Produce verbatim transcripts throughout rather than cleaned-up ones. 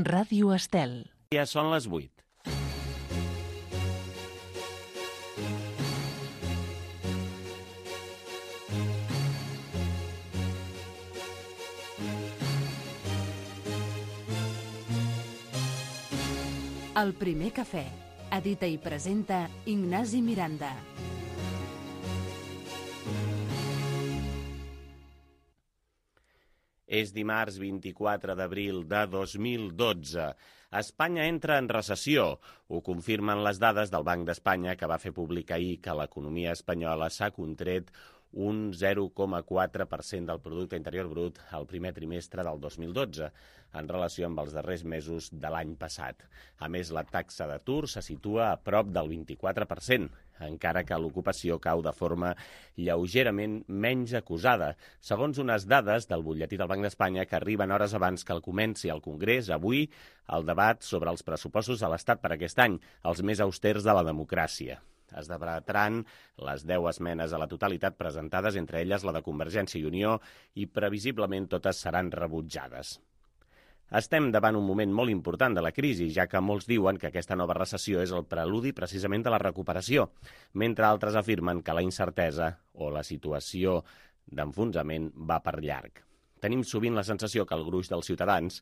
Ràdio Estel. Ja són les vuit. El primer cafè. Edita i presenta Ignasi Miranda. És dimarts vint-i-quatre d'abril de dos mil dotze. Espanya entra en recessió. Ho confirmen les dades del Banc d'Espanya, que va fer públic ahir que l'economia espanyola s'ha contret un zero coma quatre per cent del producte interior brut al primer trimestre del dos mil dotze, en relació amb els darrers mesos de l'any passat. A més, la taxa d'atur se situa a prop del vint-i-quatre per cent, encara que l'ocupació cau de forma lleugerament menys acusada, segons unes dades del butlletí del Banc d'Espanya que arriben hores abans que el comenci al Congrés avui el debat sobre els pressupostos de l'Estat per aquest any, els més austers de la democràcia. Es debatran les deu esmenes a la totalitat presentades, entre elles la de Convergència i Unió, i previsiblement totes seran rebutjades. Estem davant un moment molt important de la crisi, ja que molts diuen que aquesta nova recessió és el preludi precisament de la recuperació, mentre altres afirmen que la incertesa o la situació d'enfonsament va per llarg. Tenim sovint la sensació que el gruix dels ciutadans,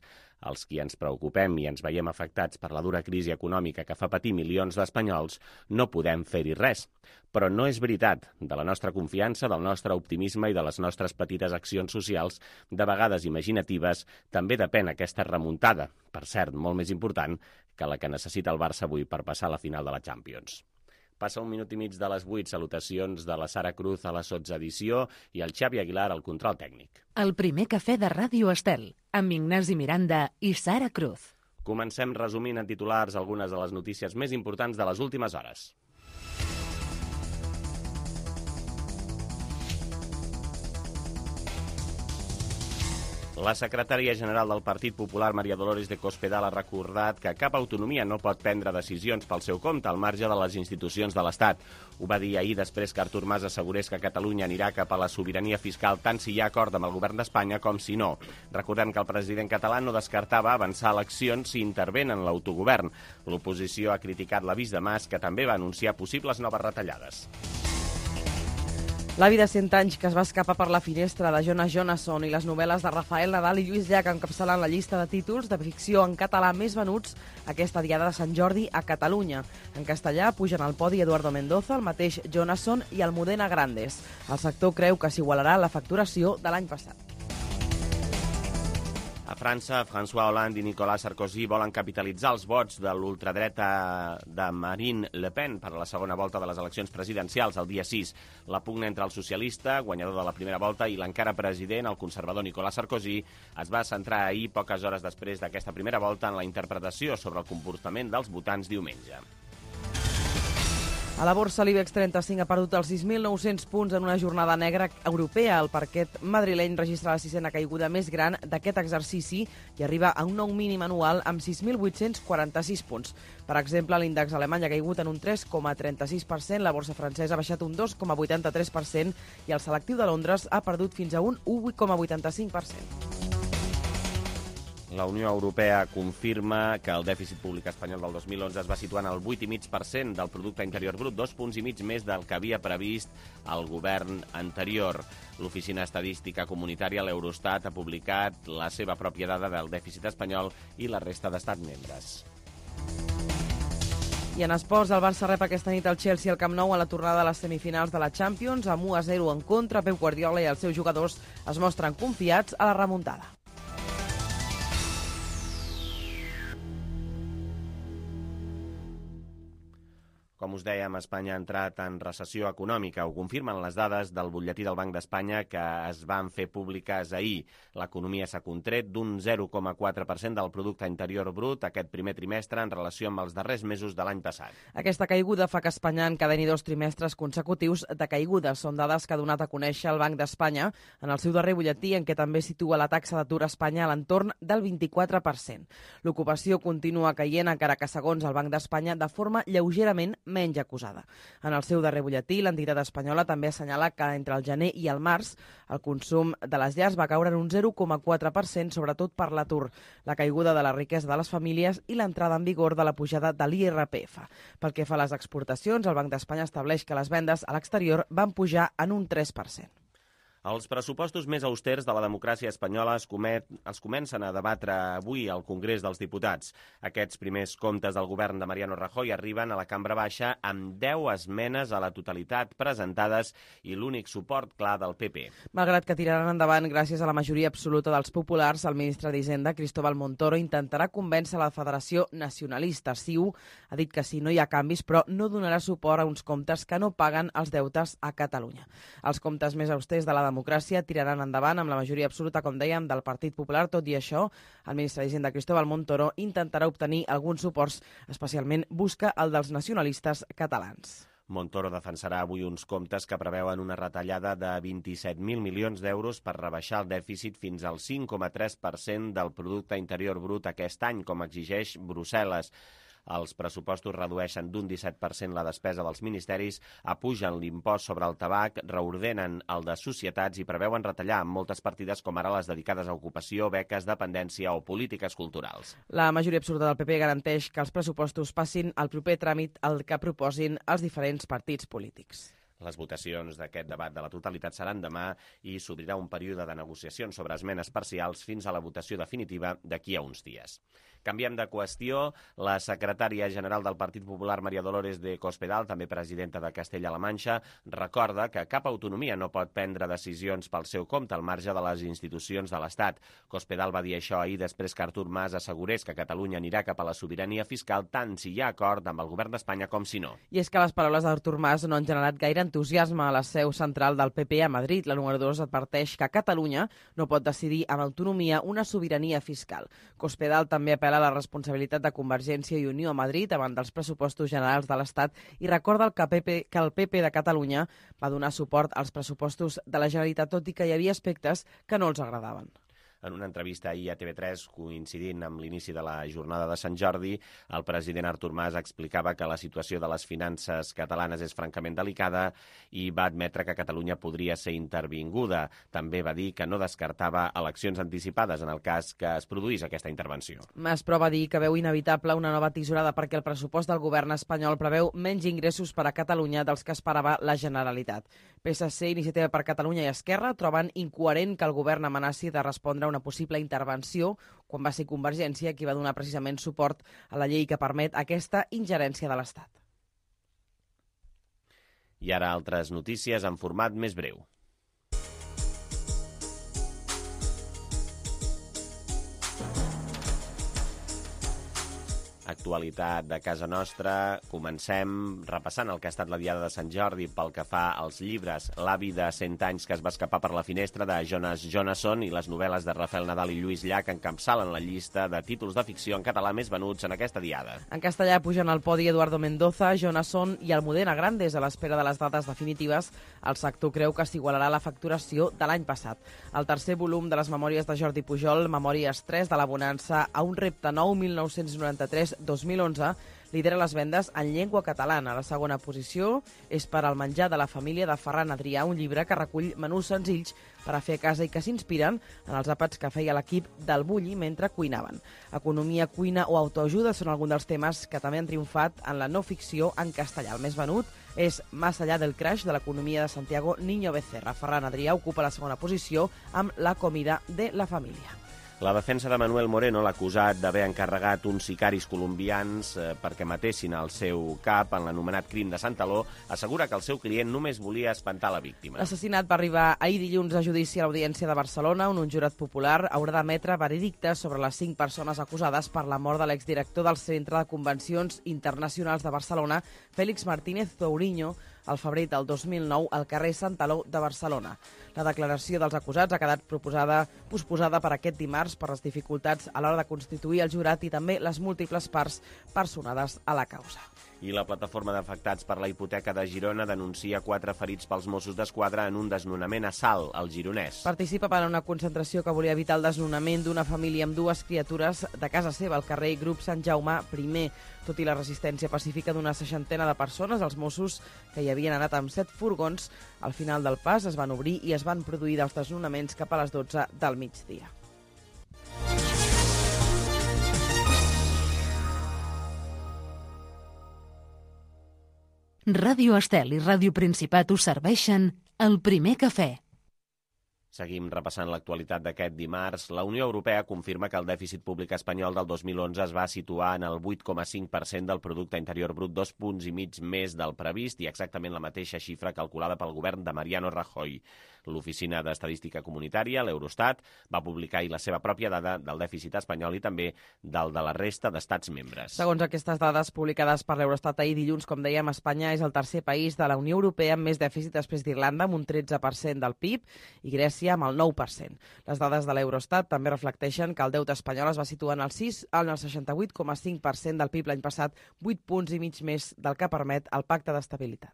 els qui ens preocupem i ens veiem afectats per la dura crisi econòmica que fa patir milions d'espanyols, no podem fer-hi res. Però no és veritat. De la nostra confiança, del nostre optimisme i de les nostres petites accions socials, de vegades imaginatives, també depèn aquesta remuntada, per cert, molt més important que la que necessita el Barça avui per passar a la final de la Champions. Passa un minut i mig de les vuit, salutacions de la Sara Cruz a la sotsedició i el Xavi Aguilar al control tècnic. El primer cafè de Ràdio Estel, amb Ignasi Miranda i Sara Cruz. Comencem resumint en titulars algunes de les notícies més importants de les últimes hores. La secretària general del Partit Popular, María Dolores de Cospedal, ha recordat que cap autonomia no pot prendre decisions pel seu compte al marge de les institucions de l'Estat. Ho va dir ahir després que Artur Mas assegurés que Catalunya anirà cap a la sobirania fiscal tant si hi ha acord amb el govern d'Espanya com si no. Recordem que el president català no descartava avançar eleccions si intervenen en l'autogovern. L'oposició ha criticat l'avís de Mas, que també va anunciar possibles noves retallades. L'avi de cent anys que es va escapar per la finestra de Jonas Jonasson i les novel·les de Rafael Nadal i Lluís Llach encapçalant la llista de títols de ficció en català més venuts aquesta diada de Sant Jordi a Catalunya. En castellà pugen al podi Eduardo Mendoza, el mateix Jonasson i Almudena Grandes. El sector creu que s'igualarà la facturació de l'any passat. A França, François Hollande i Nicolas Sarkozy volen capitalitzar els vots de l'ultradreta de Marine Le Pen per a la segona volta de les eleccions presidencials el dia sis. La pugna entre el socialista, guanyador de la primera volta, i l'encara president, el conservador Nicolas Sarkozy, es va centrar ahir, poques hores després d'aquesta primera volta, en la interpretació sobre el comportament dels votants diumenge. A la borsa, l'IBEX trenta-cinc ha perdut els sis mil nou-cents punts en una jornada negra europea. El parquet madrileny registra la sisena caiguda més gran d'aquest exercici i arriba a un nou mínim anual amb sis mil vuit-cents quaranta-sis punts. Per exemple, l'índex alemany ha caigut en un tres coma trenta-sis per cent, la borsa francesa ha baixat un dos coma vuitanta-tres per cent i el selectiu de Londres ha perdut fins a un u coma vuitanta-cinc per cent. La Unió Europea confirma que el dèficit públic espanyol del dos mil onze es va situar en el vuit coma cinc per cent del producte interior brut, dos punts i mig més del que havia previst el govern anterior. L'Oficina Estadística Comunitària, l'Eurostat, ha publicat la seva pròpia dada del dèficit espanyol i la resta d'estats membres. I en esports, el Barça rep aquesta nit el Chelsea al Camp Nou a la tornada de les semifinals de la Champions. Amb u a zero en contra, Pep Guardiola i els seus jugadors es mostren confiats a la remuntada. Com us dèiem, Espanya ha entrat en recessió econòmica. Ho confirmen les dades del butlletí del Banc d'Espanya que es van fer públiques ahir. L'economia s'ha contret d'un zero coma quatre per cent del producte interior brut aquest primer trimestre en relació amb els darrers mesos de l'any passat. Aquesta caiguda fa que Espanya encadeni dos trimestres consecutius de caigudes. Són dades que ha donat a conèixer el Banc d'Espanya en el seu darrer butlletí, en què també situa la taxa d'atur a Espanya a l'entorn del vint-i-quatre per cent. L'ocupació continua caient, encara que, segons el Banc d'Espanya, de forma lleugerament menys acusada. En el seu darrer butlletí, l'entitat espanyola també assenyala que entre el gener i el març el consum de les llars va caure en un zero coma quatre per cent, sobretot per l'atur, la caiguda de la riquesa de les famílies i l'entrada en vigor de la pujada de l'I R P F. Pel que fa a les exportacions, el Banc d'Espanya estableix que les vendes a l'exterior van pujar en un tres per cent. Els pressupostos més austers de la democràcia espanyola es, comet, es comencen a debatre avui al Congrés dels Diputats. Aquests primers comptes del govern de Mariano Rajoy arriben a la Cambra Baixa amb deu esmenes a la totalitat presentades i l'únic suport clar del P P. Malgrat que tiraran endavant gràcies a la majoria absoluta dels populars, el ministre d'Hisenda, Cristóbal Montoro, intentarà convèncer la Federació Nacionalista, C I U. Ha dit que sí, no hi ha canvis, però no donarà suport a uns comptes que no paguen els deutes a Catalunya. Els comptes més austers de la democràcia tiraran endavant amb la majoria absoluta, com dèiem, del Partit Popular. Tot i això, el ministre d'Hisenda, Cristóbal Montoro, intentarà obtenir alguns suports, especialment busca el dels nacionalistes catalans. Montoro defensarà avui uns comptes que preveuen una retallada de vint-i-set mil milions d'euros per rebaixar el dèficit fins al cinc coma tres per cent del Producte Interior Brut aquest any, com exigeix Brussel·les. Els pressupostos redueixen d'un disset per cent la despesa dels ministeris, apugen l'impost sobre el tabac, reordenen el de societats i preveuen retallar en moltes partides com ara les dedicades a ocupació, beques, dependència o polítiques culturals. La majoria absoluta del P P garanteix que els pressupostos passin al proper tràmit el que proposin els diferents partits polítics. Les votacions d'aquest debat de la totalitat seran demà i s'obrirà un període de negociacions sobre esmenes parcials fins a la votació definitiva d'aquí a uns dies. Canviem de qüestió. La secretària general del Partit Popular, María Dolores de Cospedal, també presidenta de Castella-La Manxa, recorda que cap autonomia no pot prendre decisions pel seu compte al marge de les institucions de l'Estat. Cospedal va dir això ahir després que Artur Mas assegurés que Catalunya anirà cap a la sobirania fiscal tant si hi ha acord amb el govern d'Espanya com si no. I és que les paraules d'Artur Mas no han generat gaire entusiasme a la seu central del P P a Madrid. La número dos adverteix que Catalunya no pot decidir amb autonomia una sobirania fiscal. Cospedal també apel·la a la responsabilitat de Convergència i Unió a Madrid davant dels pressupostos generals de l'Estat i recorda que, P P, que el P P de Catalunya va donar suport als pressupostos de la Generalitat, tot i que hi havia aspectes que no els agradaven. En una entrevista ahir a T V tres, coincidint amb l'inici de la jornada de Sant Jordi, el president Artur Mas explicava que la situació de les finances catalanes és francament delicada i va admetre que Catalunya podria ser intervinguda. També va dir que no descartava eleccions anticipades en el cas que es produís aquesta intervenció. Mas, però, va dir que veu inevitable una nova tisorada perquè el pressupost del govern espanyol preveu menys ingressos per a Catalunya dels que esperava la Generalitat. P S C, Iniciativa per Catalunya i Esquerra troben incoherent que el govern amenaci de respondre a una possible intervenció quan va ser Convergència qui va donar precisament suport a la llei que permet aquesta ingerència de l'Estat. I ara altres notícies en format més breu. Actualitat de casa nostra. Comencem repassant el que ha estat la Diada de Sant Jordi pel que fa als llibres. L'avi de cent anys que es va escapar per la finestra, de Jonas Jonasson, i les novel·les de Rafael Nadal i Lluís Llach encapçalen la llista de títols de ficció en català més venuts en aquesta Diada. En castellà pugen al podi Eduardo Mendoza, Jonasson i Almudena Grandes. A l'espera de les dates definitives, el sector creu que s'igualarà la facturació de l'any passat. El tercer volum de les memòries de Jordi Pujol, Memòries tres de la bonança a un repte nou, mil nou-cents noranta-tres dos mil onze, lidera les vendes en llengua catalana. La segona posició és per al menjar de la família de Ferran Adrià, un llibre que recull menús senzills per a fer a casa i que s'inspiren en els àpats que feia l'equip del Bulli mentre cuinaven. Economia, cuina o autoajuda són alguns dels temes que també han triomfat en la no ficció en castellà. El més venut és Más allá del crash, de l'economia de Santiago Niño Becerra. Ferran Adrià ocupa la segona posició amb La comida de la família. La defensa de Manuel Moreno, l'acusat d'haver encarregat uns sicaris colombians eh, perquè matessin el seu cap en l'anomenat crim de Santaló, assegura que el seu client només volia espantar la víctima. L'assassinat va arribar ahir dilluns a judici a l'Audiència de Barcelona, on un jurat popular haurà d'emetre veredictes sobre les cinc persones acusades per la mort de l'exdirector del Centre de Convencions Internacionals de Barcelona, Félix Martínez Touriño, al febrer del dos mil nou al carrer Santaló de Barcelona. La declaració dels acusats ha quedat proposada, posposada per aquest dimarts per les dificultats a l'hora de constituir el jurat i també les múltiples parts personades a la causa. I la plataforma d'afectats per la hipoteca de Girona denuncia quatre ferits pels Mossos d'Esquadra en un desnonament a Salt, al Gironès. Participa en una concentració que volia evitar el desnonament d'una família amb dues criatures de casa seva al carrer Grup Sant Jaume primer. Tot i la resistència pacífica d'una seixantena de persones, els Mossos, que hi havien anat amb set furgons, al final del pas es van obrir i es van produir dels desnonaments cap a les dotze del migdia. Ràdio Estel i Ràdio Principat us serveixen El Primer Cafè. Seguim repassant l'actualitat d'aquest dimarts. La Unió Europea confirma que el dèficit públic espanyol del dos mil onze es va situar en el vuit coma cinc per cent del producte interior brut, dos punts i mig més del previst i exactament la mateixa xifra calculada pel govern de Mariano Rajoy. L'Oficina d'Estadística Comunitària, l'Eurostat, va publicar ahir la seva pròpia dada del dèficit espanyol i també del de la resta d'estats membres. Segons aquestes dades publicades per l'Eurostat ahir dilluns, com dèiem, Espanya és el tercer país de la Unió Europea amb més dèficit després d'Irlanda, amb un tretze per cent del P I B, i Grècia amb el nou per cent. Les dades de l'Eurostat també reflecteixen que el deute espanyol es va situar en el sis en el seixanta-vuit coma cinc per cent del P I B l'any passat, vuit punts i mig més del que permet el Pacte d'Estabilitat.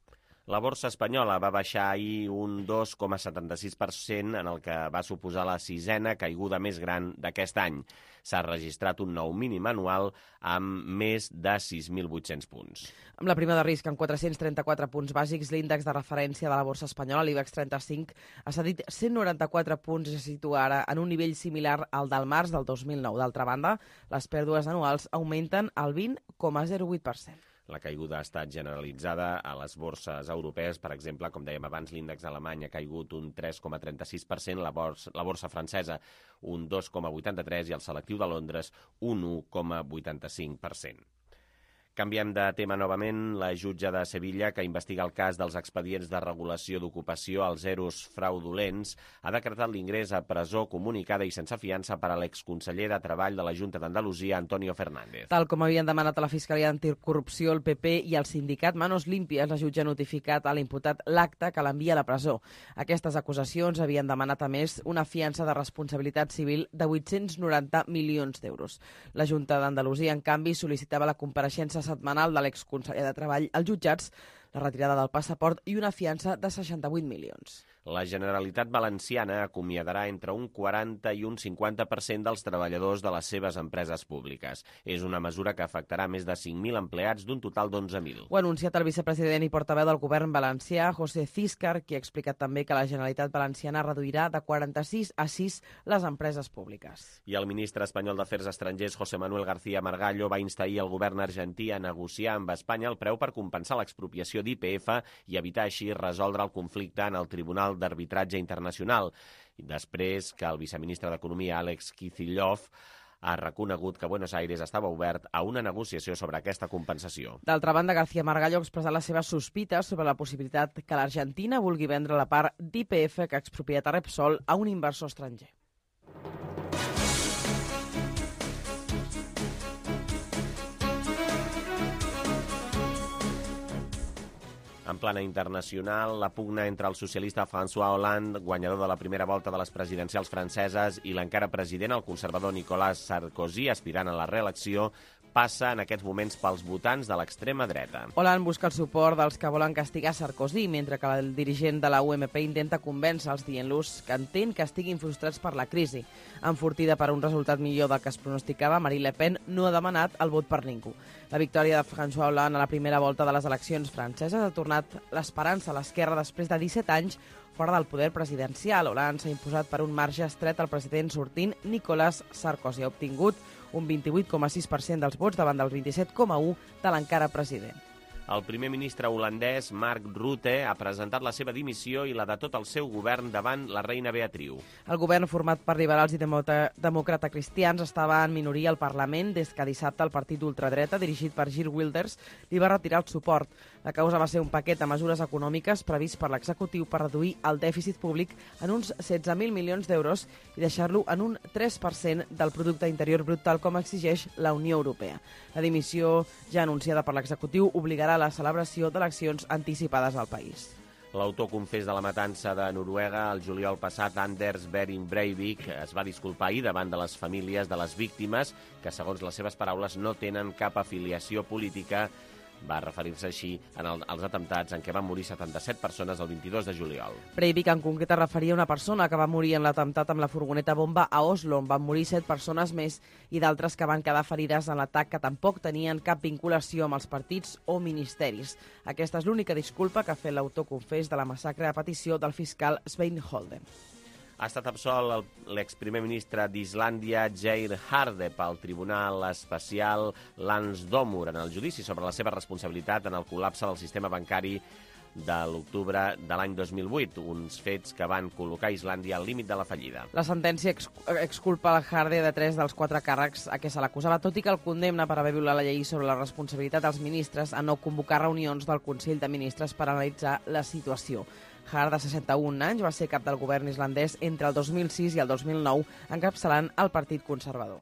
La borsa espanyola va baixar ahir un dos coma setanta-sis per cent, en el que va suposar la sisena caiguda més gran d'aquest any. S'ha registrat un nou mínim anual amb més de sis mil vuit-cents punts. Amb la prima de risc amb quatre-cents trenta-quatre punts bàsics, l'índex de referència de la borsa espanyola, l'IBEX trenta-cinc, ha cedit cent noranta-quatre punts i se situa ara en un nivell similar al del març del dos mil nou. D'altra banda, les pèrdues anuals augmenten al vint coma zero vuit per cent. La caiguda ha estat generalitzada a les borses europees. Per exemple, com dèiem abans, l'índex alemany ha caigut un tres coma trenta-sis per cent, la borsa, la borsa francesa un dos coma vuitanta-tres per cent i el selectiu de Londres un un coma vuitanta-cinc per cent. Canviem de tema novament. La jutge de Sevilla, que investiga el cas dels expedients de regulació d'ocupació als eros fraudulents, ha decretat l'ingrés a presó comunicada i sense fiança per a l'exconseller de Treball de la Junta d'Andalusia, Antonio Fernández. Tal com havien demanat a la Fiscalia Anticorrupció, el P P i el sindicat Manos Limpias, la jutge ha notificat a l'imputat l'acte que l'envia a la presó. Aquestes acusacions havien demanat, a més, una fiança de responsabilitat civil de vuit-cents noranta milions d'euros. La Junta d'Andalusia, en canvi, sol·licitava la compareixença setmanal de l'exconseller de Treball als jutjats, la retirada del passaport i una fiança de seixanta-vuit milions. La Generalitat Valenciana acomiadarà entre un quaranta i un cinquanta per cent dels treballadors de les seves empreses públiques. És una mesura que afectarà més de cinc mil empleats d'un total d'onze mil. Ho ha anunciat el vicepresident i portaveu del govern valencià, José Císcar, qui ha explicat també que la Generalitat Valenciana reduirà de quaranta-sis a sis les empreses públiques. I el ministre espanyol d'Afers Estrangers, José Manuel García Margallo, va instar ahir el govern argentí a negociar amb Espanya el preu per compensar l'expropiació d'I P F i evitar així resoldre el conflicte en el Tribunal d'Arbitratge Internacional. I després que el viceministre d'Economia, Alex Kicillof, ha reconegut que Buenos Aires estava obert a una negociació sobre aquesta compensació. D'altra banda, García Margallo ha expressat les seves sospites sobre la possibilitat que l'Argentina vulgui vendre la part d'I P F que ha expropiat a Repsol a un inversor estranger. En plana internacional, la pugna entre el socialista François Hollande, guanyador de la primera volta de les presidencials franceses, i l'encara president, el conservador Nicolas Sarkozy, aspirant a la reelecció, passa en aquests moments pels votants de l'extrema dreta. Hollande busca el suport dels que volen castigar Sarkozy, mentre que el dirigent de la U M P intenta convèncer-los dient-los que entén que estiguin frustrats per la crisi. Enfortida per un resultat millor del que es pronosticava, Marine Le Pen no ha demanat el vot per ningú. La victòria de François Hollande a la primera volta de les eleccions franceses ha tornat l'esperança a l'esquerra després de disset anys fora del poder presidencial. Hollande s'ha imposat per un marge estret al president sortint Nicolas Sarkozy. Ha obtingut un vint-i-vuit coma sis per cent dels vots davant del vint-i-set coma u per cent de l'encara president. El primer ministre holandès, Mark Rutte, ha presentat la seva dimissió i la de tot el seu govern davant la reina Beatriu. El govern, format per liberals i demòcrata-cristians, estava en minoria al Parlament des que dissabte el partit d'ultradreta, dirigit per Geert Wilders, li va retirar el suport. La causa va ser un paquet de mesures econòmiques previst per l'executiu per reduir el dèficit públic en uns setze mil milions d'euros i deixar-lo en un tres per cent del producte interior brut, tal com exigeix la Unió Europea. La dimissió, ja anunciada per l'executiu, obligarà a la celebració d'eleccions anticipades al país. L'autor confés de la matança de Noruega el juliol passat, Anders Behring Breivik, es va disculpar ahir davant de les famílies de les víctimes que, segons les seves paraules, no tenen cap afiliació política Va referir-se així en el, als atemptats en què van morir setanta-set persones el vint-i-dos de juliol. Breivik en concret es referia a una persona que va morir en l'atemptat amb la furgoneta bomba a Oslo, on van morir set persones més i d'altres que van quedar ferides en l'atac que tampoc tenien cap vinculació amb els partits o ministeris. Aquesta és l'única disculpa que ha fet l'autor confés de la massacre a petició del fiscal Svein Holden. Ha estat absolt l'exprimer ministre d'Islàndia, Geir Haarde, pel Tribunal Especial Landsdómur en el judici sobre la seva responsabilitat en el col·lapse del sistema bancari de l'octubre de l'any dos mil vuit, uns fets que van col·locar Islàndia al límit de la fallida. La sentència ex exculpa el Haarde de tres dels quatre càrrecs a què se l'acusava, tot i que el condemna per haver violat la llei sobre la responsabilitat dels ministres a no convocar reunions del Consell de Ministres per analitzar la situació. Haarde, de seixanta-un anys, va ser cap del govern islandès entre el dos mil sis i el dos mil nou, encapçalant el Partit Conservador.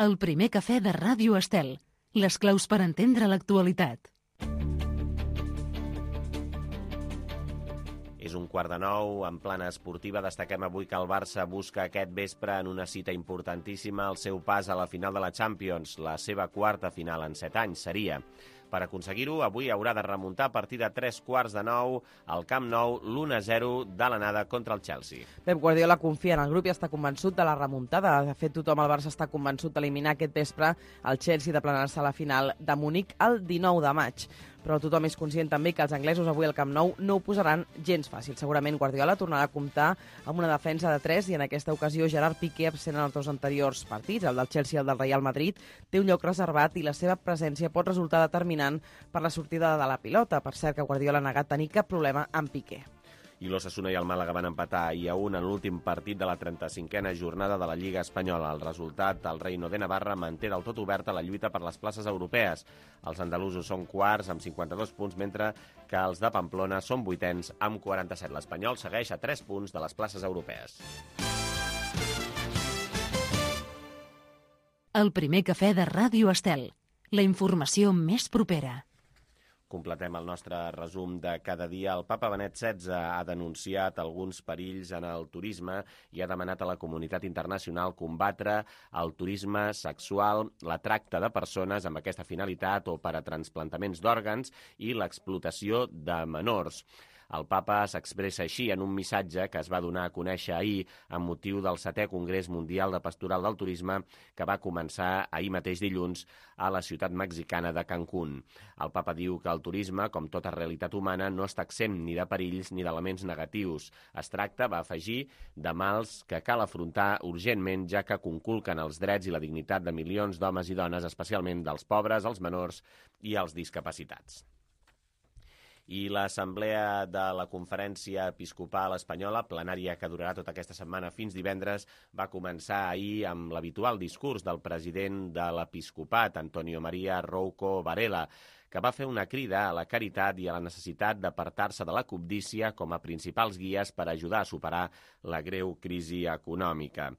El primer cafè de Ràdio Estel. Les claus per entendre l'actualitat. És un quart de nou, en plana esportiva. Destaquem avui que el Barça busca aquest vespre en una cita importantíssima el seu pas a la final de la Champions, la seva quarta final en set anys seria. Per aconseguir-ho, avui haurà de remuntar a partir de tres quarts de nou al Camp Nou l'u a zero de l'anada contra el Chelsea. Pep Guardiola confia en el grup i està convençut de la remuntada. De fet, tothom al Barça està convençut d'eliminar aquest vespre el Chelsea de planar-se a la final de Munic el dinou de maig. Però tothom és conscient també que els anglesos avui al Camp Nou no ho posaran gens fàcil. Segurament Guardiola tornarà a comptar amb una defensa de tres i en aquesta ocasió Gerard Piqué, absent en els dos anteriors partits, el del Chelsea i el del Real Madrid, té un lloc reservat i la seva presència pot resultar determinant per la sortida de la pilota. Per cert, que Guardiola ha negat tenir cap problema amb Piqué. I l'Osasuna i el Màlaga van empatar i a un en l'últim partit de la trenta-cinquena jornada de la Lliga Espanyola. El resultat, el Reino de Navarra manté del tot oberta la lluita per les places europees. Els andalusos són quarts amb cinquanta-dos punts, mentre que els de Pamplona són vuitens amb quaranta-set. L'Espanyol segueix a tres punts de les places europees. El primer cafè de Ràdio Estel. La informació més propera. Completem el nostre resum de cada dia. El papa Benet setze ha denunciat alguns perills en el turisme i ha demanat a la comunitat internacional combatre el turisme sexual, la tracta de persones amb aquesta finalitat o per a trasplantaments d'òrgans i l'explotació de menors. El papa s'expressa així en un missatge que es va donar a conèixer ahir amb motiu del setè Congrés Mundial de Pastoral del Turisme que va començar ahir mateix dilluns a la ciutat mexicana de Cancún. El papa diu que el turisme, com tota realitat humana, no està exempt ni de perills ni d'elements negatius. Es tracta, va afegir, de mals que cal afrontar urgentment, ja que conculquen els drets i la dignitat de milions d'homes i dones, especialment dels pobres, els menors i els discapacitats. I l'Assemblea de la Conferència Episcopal Espanyola, plenària que durarà tota aquesta setmana fins divendres, va començar ahir amb l'habitual discurs del president de l'Episcopat, Antonio María Rouco Varela, que va fer una crida a la caritat i a la necessitat d'apartar-se de la cobdícia com a principals guies per ajudar a superar la greu crisi econòmica.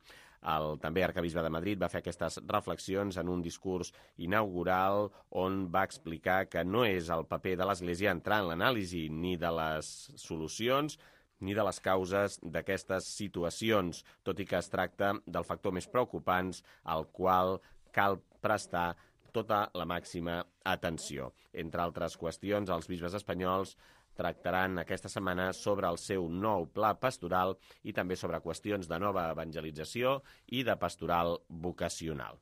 El també arquebisbe de Madrid va fer aquestes reflexions en un discurs inaugural on va explicar que no és el paper de l'Església entrar en l'anàlisi ni de les solucions ni de les causes d'aquestes situacions, tot i que es tracta del factor més preocupant al qual cal prestar tota la màxima atenció. Entre altres qüestions, els bisbes espanyols tractaran aquesta setmana sobre el seu nou pla pastoral i també sobre qüestions de nova evangelització i de pastoral vocacional.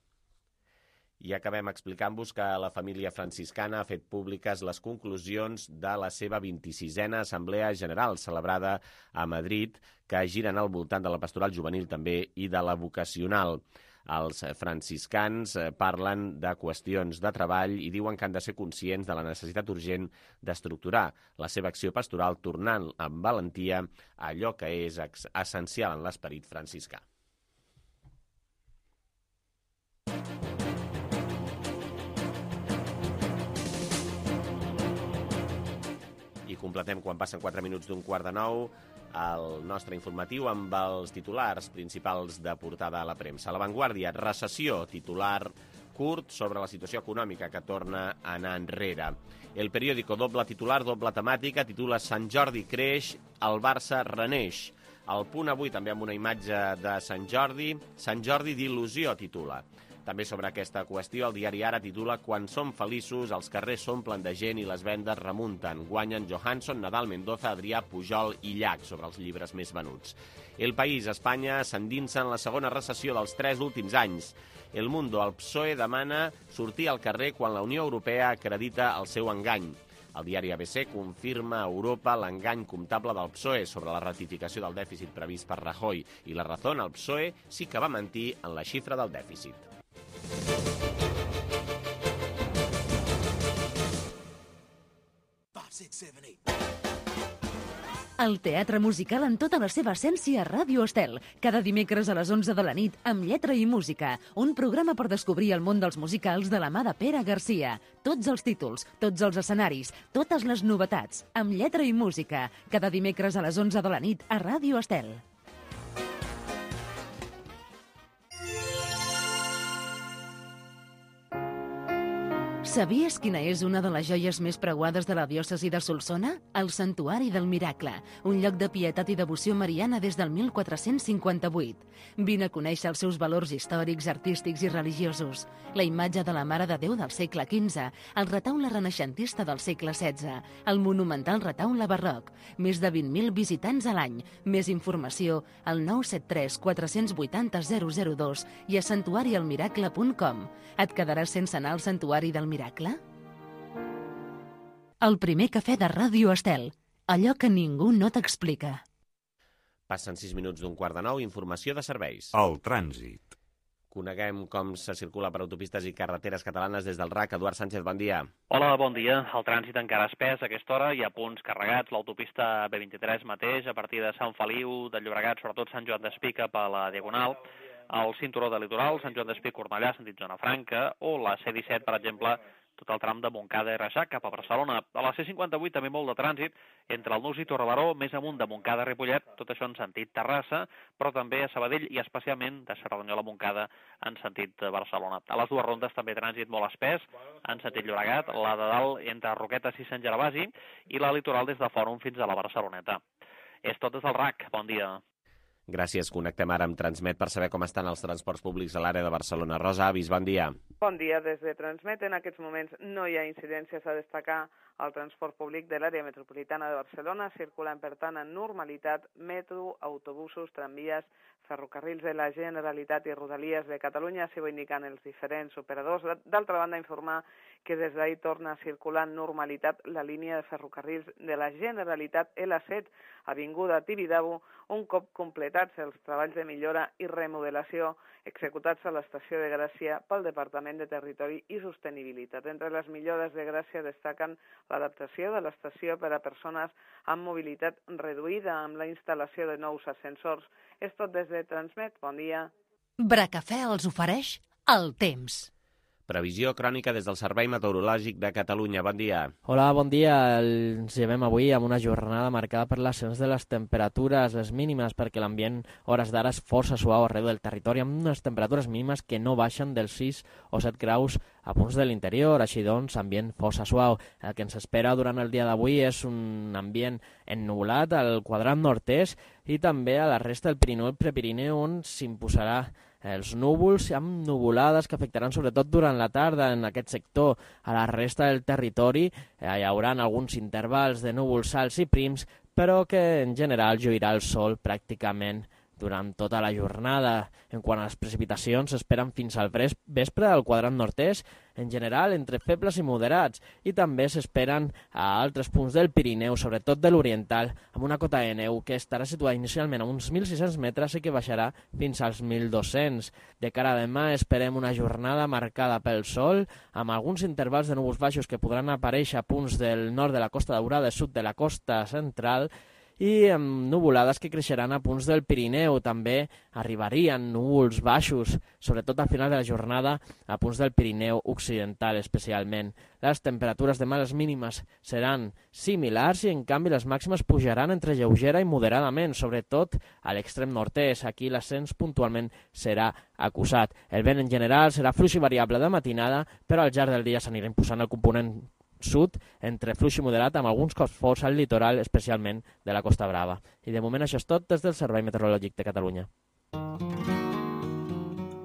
I acabem explicant-vos que la família franciscana ha fet públiques les conclusions de la seva vint-i-sisena Assemblea General celebrada a Madrid, que giren al voltant de la pastoral juvenil també i de la vocacional. Els franciscans parlen de qüestions de treball i diuen que han de ser conscients de la necessitat urgent d'estructurar la seva acció pastoral tornant amb valentia a allò que és essencial en l'esperit franciscà. I completem quan passen quatre minuts d'un quart de nou el nostre informatiu amb els titulars principals de portada a la premsa. La Vanguardia, recessió, titular curt sobre la situació econòmica que torna a anar enrere. El periòdico, doble titular, doble temàtica, titula Sant Jordi creix, el Barça reneix. El Punt avui també amb una imatge de Sant Jordi. Sant Jordi d'il·lusió titula. També sobre aquesta qüestió, el diari Ara titula «Quan som feliços, els carrers s'omplen de gent i les vendes remunten. Guanyen Johansson, Nadal, Mendoza, Adrià, Pujol i Llach» sobre els llibres més venuts. El País, Espanya s'endinsa en la segona recessió dels tres últims anys. El Mundo, el P S O E demana sortir al carrer quan la Unió Europea acredita el seu engany. El diari A B C confirma a Europa l'engany comptable del P S O E sobre la ratificació del dèficit previst per Rajoy. I la Razón, el P S O E sí que va mentir en la xifra del dèficit. El teatre musical en tota la seva essència a Ràdio Estel. Cada dimecres a les onze de la nit, amb lletra i música. Un programa per descobrir el món dels musicals de la mà de Pere Garcia. Tots els títols, tots els escenaris, totes les novetats. Amb lletra i música. Cada dimecres a les onze de la nit a Ràdio Estel. Sabies quina és una de les joies més preuades de la diòcesi de Solsona? El Santuari del Miracle, un lloc de pietat i devoció mariana des del mil quatre-cents cinquanta-vuit. Vine a conèixer els seus valors històrics, artístics i religiosos. La imatge de la Mare de Déu del segle quinze, el retaule renaixentista del segle setze, el monumental retaule barroc, més de vint mil visitants a l'any. Més informació al nou set tres quatre vuit zero zero zero dos i a santuari el miracle punt com. Et quedaràs sense anar al Santuari del Miracle? El primer cafè de Ràdio Estel. Allò que ningú no t'explica. Passen sis minuts d'un quart de nou, informació de serveis. El trànsit. Coneguem com se circula per autopistes i carreteres catalanes des del R A C. Eduard Sánchez, bon dia. Hola, bon dia. El trànsit encara espès a aquesta hora. Hi ha punts carregats. L'autopista B vint-i-tres mateix, a partir de Sant Feliu, de Llobregat, sobretot Sant Joan d'Espí cap a la Diagonal, el cinturó de litoral, Sant Joan d'Espí, Cornellà, sentit Zona Franca, o la C disset, per exemple, tot el tram de Montcada i Reixac cap a Barcelona. A la C cinquanta-vuit també molt de trànsit entre el Nus i Torrebaró, més amunt de Montcada i Ripollet, tot això en sentit Terrassa, però també a Sabadell i especialment de Cerdanyola a Montcada en sentit Barcelona. A les dues rondes també trànsit molt espès en sentit Llobregat, la de dalt entre Roquetes i Sant Gervasi i la litoral des de Fòrum fins a la Barceloneta. És tot des del R A C. Bon dia. Gràcies. Connectem ara amb Transmet per saber com estan els transports públics a l'àrea de Barcelona. Rosa Avis, bon dia. Bon dia. Des de Transmet, en aquests moments no hi ha incidències a destacar. El transport públic de l'àrea metropolitana de Barcelona circulen, per tant, en normalitat metro, autobusos, tramvies, ferrocarrils de la Generalitat i Rodalies de Catalunya, s'hi ho indiquen els diferents operadors. D'altra banda, informar que des d'ahir torna a circular en normalitat la línia de ferrocarrils de la Generalitat L set, avinguda Tibidabo, un cop completats els treballs de millora i remodelació executats a l'estació de Gràcia pel Departament de Territori i Sostenibilitat. Entre les millores de Gràcia destaquen l'adaptació de l'estació per a persones amb mobilitat reduïda amb la instal·lació de nous ascensors. És tot des de Transmet. Bon dia. Bracafè els ofereix el temps. Previsió crònica des del Servei Meteorològic de Catalunya. Bon dia. Hola, bon dia. Ens llevem avui amb una jornada marcada per l'ascens de les temperatures, les mínimes, perquè l'ambient hores d'ara és força suau arreu del territori, amb unes temperatures mínimes que no baixen dels sis o set graus a punts de l'interior, així doncs, ambient força suau. El que ens espera durant el dia d'avui és un ambient ennubulat al quadrant nord-est i també a la resta del Pirineu i Prepirineu, on s'imposarà els núvols amb nuvolades que afectaran sobretot durant la tarda en aquest sector. A la resta del territori hi haurà alguns intervals de núvols alts i prims, però que en general lluirà el sol pràcticament durant tota la jornada. En quant a les precipitacions, s'esperen fins al vespre al quadrant nord-est, en general entre febles i moderats, i també s'esperen a altres punts del Pirineu, sobretot de l'oriental, amb una cota de neu que estarà situada inicialment a uns mil sis-cents metres i que baixarà fins als mil dos-cents. De cara a demà esperem una jornada marcada pel sol, amb alguns intervals de núvols baixos que podran aparèixer a punts del nord de la Costa Daurada i sud de la costa central, i amb nuvolades que creixeran a punts del Pirineu. També arribarien núvols baixos, sobretot al final de la jornada, a punts del Pirineu occidental especialment. Les temperatures demà, les mínimes, seran similars i en canvi les màximes pujaran entre lleugera i moderadament, sobretot a l'extrem nord-est. Aquí l'ascens puntualment serà acusat. El vent en general serà fluix i variable de matinada, però al llarg del dia s'anirà imposant el component sud, entre fluix i moderat, amb alguns cops forts al litoral, especialment de la Costa Brava. I de moment això és tot des del Servei Meteorològic de Catalunya.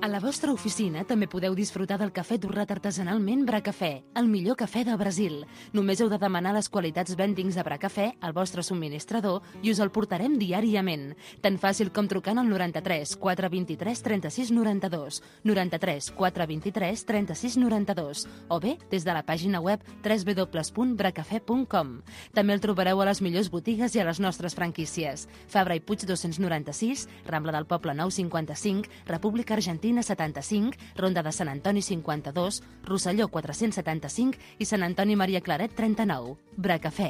A la vostra oficina també podeu disfrutar del cafè torrat artesanalment Bracafè, el millor cafè del Brasil. Només heu de demanar les qualitats vendings de Bracafè al vostre subministrador i us el portarem diàriament. Tan fàcil com trucant al noranta-tres quatre vint-i-tres trenta-sis noranta-dos, noranta-tres quatre vint-i-tres trenta-sis noranta-dos, o bé des de la pàgina web w w w punt bracafè punt com. També el trobareu a les millors botigues i a les nostres franquícies. Fabra i Puig dos-cents noranta-sis, Rambla del Poble nou cinquanta-cinc, República Argentina setanta-cinc, Ronda de Sant Antoni cinquanta-dos, Rosselló quatre-cents setanta-cinc i Sant Antoni Maria Claret trenta-nou. Bracafè.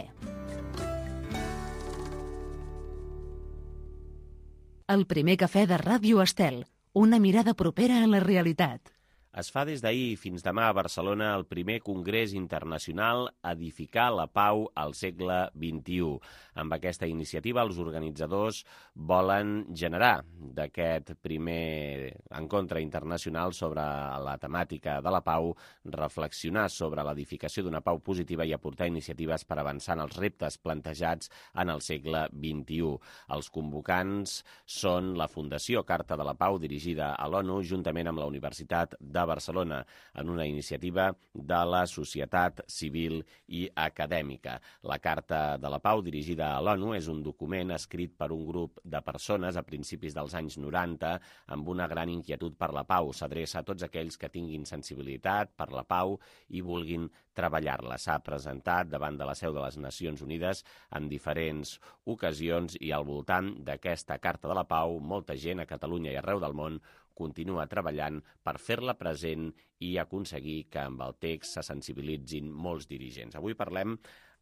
El primer cafè de Ràdio Estel. Una mirada propera a la realitat. Es fa des d'ahir fins demà a Barcelona el primer Congrés Internacional Edificar la Pau al segle vint-i-u. Amb aquesta iniciativa, els organitzadors volen generar d'aquest primer encontre internacional sobre la temàtica de la pau, reflexionar sobre l'edificació d'una pau positiva i aportar iniciatives per avançar en els reptes plantejats en el segle vint-i-u. Els convocants són la Fundació Carta de la Pau, dirigida a l'ONU, juntament amb la Universitat de Barcelona, en una iniciativa de la societat civil i acadèmica. La Carta de la Pau, dirigida a l'ONU, és un document escrit per un grup de persones a principis dels anys noranta amb una gran inquietud per la pau. S'adreça a tots aquells que tinguin sensibilitat per la pau i vulguin treballar-la. S'ha presentat davant de la seu de les Nacions Unides en diferents ocasions i al voltant d'aquesta Carta de la Pau, molta gent a Catalunya i arreu del món continua treballant per fer-la present i aconseguir que amb el text se sensibilitzin molts dirigents. Avui parlem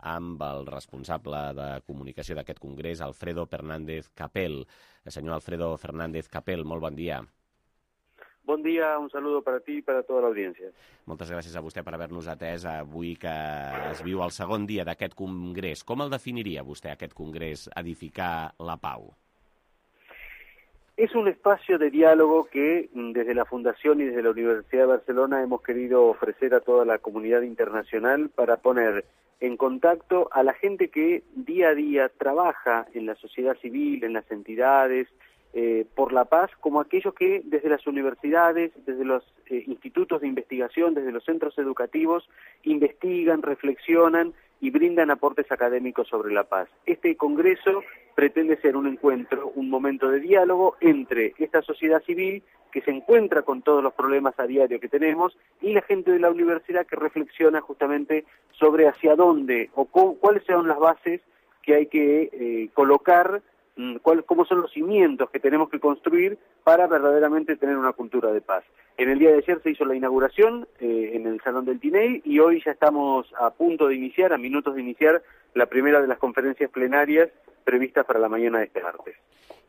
amb el responsable de comunicació d'aquest congrés, Alfredo Fernández Capel. Senyor Alfredo Fernández Capel, molt bon dia. Bon dia, un saludo para ti i para tota l'audiència. Moltes gràcies a vostè per haver-nos atès avui que es viu el segon dia d'aquest congrés. Com el definiria vostè, aquest congrés, Edificar la Pau? Es un espacio de diálogo que desde la Fundación y desde la Universidad de Barcelona hemos querido ofrecer a toda la comunidad internacional para poner en contacto a la gente que día a día trabaja en la sociedad civil, en las entidades, eh, por la paz, como aquellos que desde las universidades, desde los eh, institutos de investigación, desde los centros educativos, investigan, reflexionan y brindan aportes académicos sobre la paz. Este congreso pretende ser un encuentro, un momento de diálogo entre esta sociedad civil que se encuentra con todos los problemas a diario que tenemos y la gente de la universidad que reflexiona justamente sobre hacia dónde o cómo, cuáles son las bases que hay que eh, colocar, cuál, cómo son los cimientos que tenemos que construir para verdaderamente tener una cultura de paz. En el día de ayer se hizo la inauguración eh, en el Salón del Tinell y hoy ya estamos a punto de iniciar, a minutos de iniciar, la primera de las conferències plenàries previstes per a la mañana de este martes.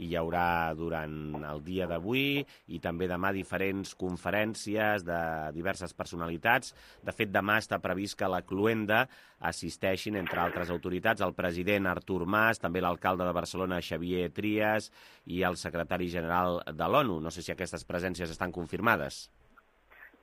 I hi haurà durant el dia d'avui i també demà diferents conferències de diverses personalitats. De fet, demà està previst que a la Cluenda assisteixin, entre altres autoritats, el president Artur Mas, també l'alcalde de Barcelona, Xavier Trias, i el secretari general de l'ONU. No sé si aquestes presències estan confirmades.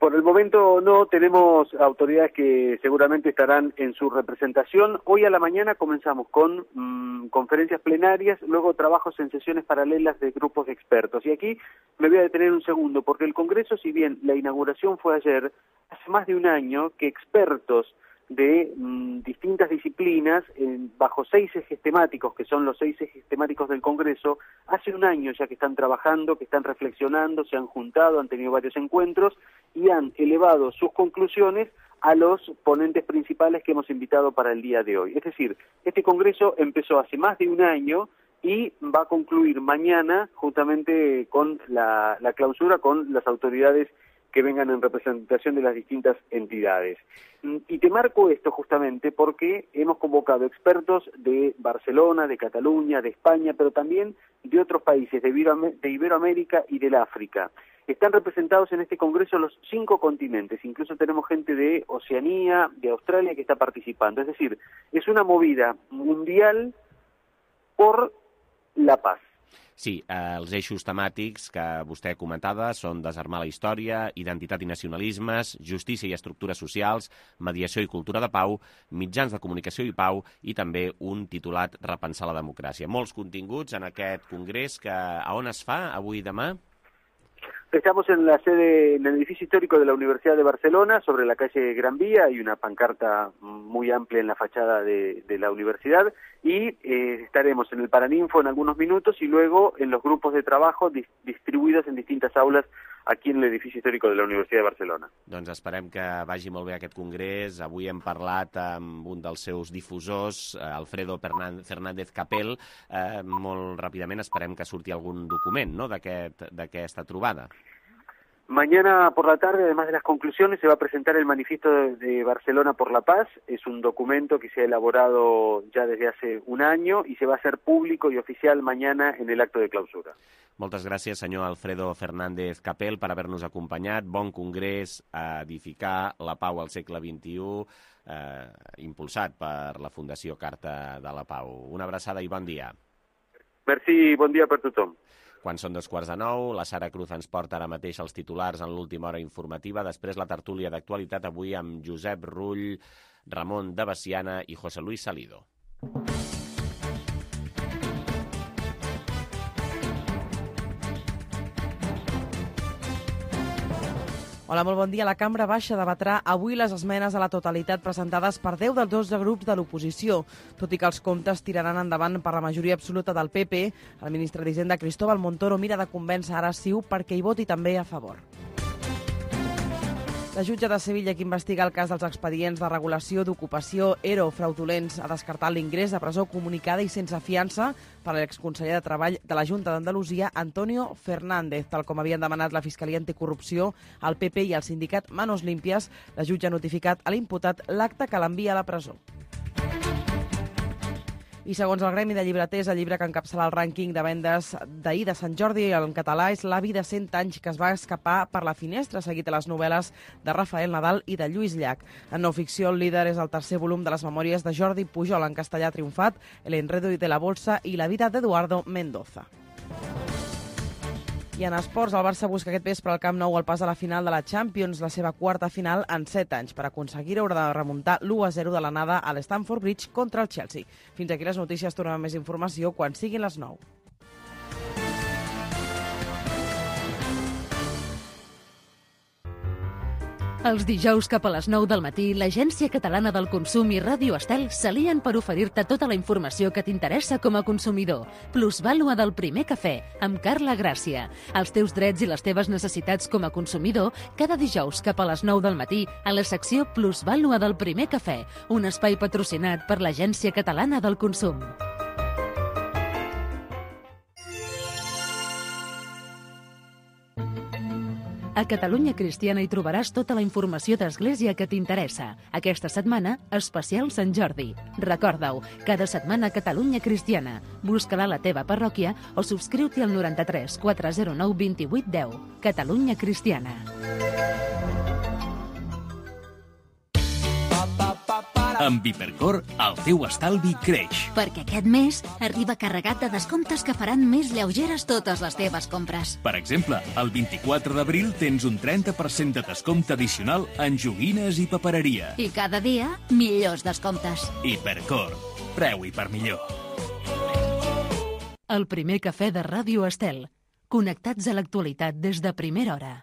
Por el momento no, tenemos autoridades que seguramente estarán en su representación. Hoy a la mañana comenzamos con mmm, conferencias plenarias, luego trabajos en sesiones paralelas de grupos de expertos. Y aquí me voy a detener un segundo, porque el Congreso, si bien la inauguración fue ayer, hace más de un año que expertos de mmm, distintas disciplinas, eh, bajo seis ejes temáticos, que son los seis ejes temáticos del Congreso, hace un año ya que están trabajando, que están reflexionando, se han juntado, han tenido varios encuentros y han elevado sus conclusiones a los ponentes principales que hemos invitado para el día de hoy. Es decir, este Congreso empezó hace más de un año y va a concluir mañana justamente con la, la clausura con las autoridades que vengan en representación de las distintas entidades. Y te marco esto justamente porque hemos convocado expertos de Barcelona, de Cataluña, de España, pero también de otros países, de, Ibero- de Iberoamérica y del África. Están representados en este congreso los cinco continentes, incluso tenemos gente de Oceanía, de Australia que está participando. Es decir, es una movida mundial por la paz. Sí, eh, els eixos temàtics que vostè comentava són desarmar la història, identitat i nacionalismes, justícia i estructures socials, mediació i cultura de pau, mitjans de comunicació i pau i també un titulat Repensar la democràcia. Molts continguts en aquest congrés que a on es fa avui i demà? Estamos en la sede, en el edificio histórico de la Universidad de Barcelona, sobre la calle Gran Vía. Hay una pancarta muy amplia en la fachada de, de la universidad y eh, estaremos en el Paraninfo en algunos minutos y luego en los grupos de trabajo dis distribuidos en distintas aulas aquí en el edificio histórico de la Universidad de Barcelona. Doncs esperem que vagi molt bé aquest congrés. Avui hem parlat amb un dels seus difusors, Alfredo Fernández Capel. Eh, molt ràpidament esperem que surti algun document, no?, d'aquesta trobada. Mañana por la tarde, además de las conclusiones, se va a presentar el Manifiesto de Barcelona por la Paz. Es un documento que se ha elaborado ya desde hace un año y se va a hacer público y oficial mañana en el acto de clausura. Moltes gràcies, senyor Alfredo Fernández Capel, per haver-nos acompanyat. Bon congrés a edificar la pau al segle vint-i-u, eh, impulsat per la Fundació Carta de la Pau. Una abraçada i bon dia. Merci, bon dia per tothom. Quan són dos quarts de nou, la Sara Cruz ens porta ara mateix els titulars en l'última hora informativa, després la tertúlia d'actualitat avui amb Josep Rull, Ramon de Veciana i José Luis Salido. Hola, molt bon dia. La Cambra Baixa debatrà avui les esmenes a la totalitat presentades per deu dels dotze grups de l'oposició. Tot i que els comptes tiraran endavant per la majoria absoluta del P P, el ministre d'Hisenda Cristóbal Montoro mira de convèncer ara Ciu perquè hi voti també a favor. La jutge de Sevilla, que investiga el cas dels expedients de regulació d'ocupació ERO fraudulents, ha descartat l'ingrés a presó comunicada i sense fiança per a l'exconseller de Treball de la Junta d'Andalusia, Antonio Fernández. Tal com havien demanat la Fiscalia Anticorrupció, el P P i el sindicat Manos Limpias, la jutge ha notificat a l'imputat l'acte que l'envia a la presó. I segons el Gremi de Llibreters, el llibre que encapçala el rànquing de vendes d'ahir de Sant Jordi en català és L'avi de cent anys que es va escapar per la finestra, seguit a les novel·les de Rafael Nadal i de Lluís Llach. En no ficció, el líder és el tercer volum de les memòries de Jordi Pujol, en castellà triomfat, El enredo de la bolsa i la vida d'Eduardo Mendoza. I en esports, el Barça busca aquest vespre al Camp Nou el pas a la final de la Champions, la seva quarta final en set anys. Per aconseguir-ho haurà de remuntar l'u a zero de l'anada a l'Stamford Bridge contra el Chelsea. Fins aquí les notícies, tornem amb més informació quan siguin les nou. Els dijous cap a les nou del matí, l'Agència Catalana del Consum i Ràdio Estel s'alien per oferir-te tota la informació que t'interessa com a consumidor. Plusvàlua del primer cafè, amb Carla Gràcia. Els teus drets i les teves necessitats com a consumidor, cada dijous cap a les nou del matí, a la secció Plusvàlua del primer cafè, un espai patrocinat per l'Agència Catalana del Consum. A Catalunya Cristiana hi trobaràs tota la informació d'Església que t'interessa. Aquesta setmana, especial Sant Jordi. Recorda-ho, cada setmana Catalunya Cristiana. Busca-la a la teva parròquia o subscriu-t'hi al noranta-tres quatre zero nou vint vuit deu. Catalunya Cristiana. Amb Hipercor, el teu estalvi creix. Perquè aquest mes arriba carregat de descomptes que faran més lleugeres totes les teves compres. Per exemple, el vint-i-quatre d'abril tens un trenta per cent de descompte addicional en joguines i papereria. I cada dia, millors descomptes. Hipercor. Preu i per millor. El primer cafè de Ràdio Estel. Connectats a l'actualitat des de primera hora.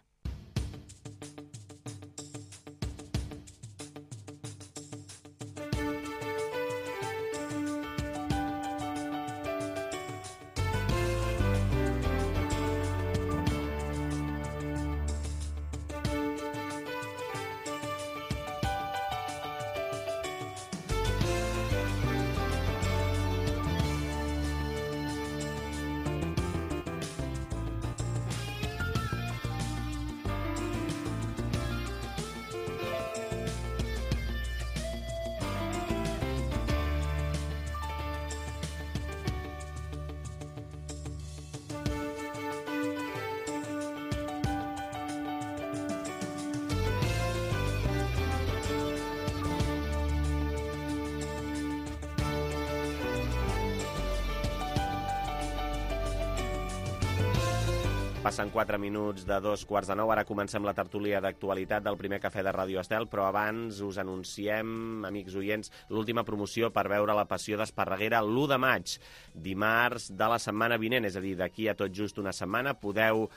Passen quatre minuts de dos quarts de nou. Ara comencem la tertúlia d'actualitat del primer cafè de Ràdio Estel, però abans us anunciem, amics oients, l'última promoció per veure La Passió d'Esparreguera l'u de maig, dimarts de la setmana vinent, és a dir, d'aquí a tot just una setmana, podeu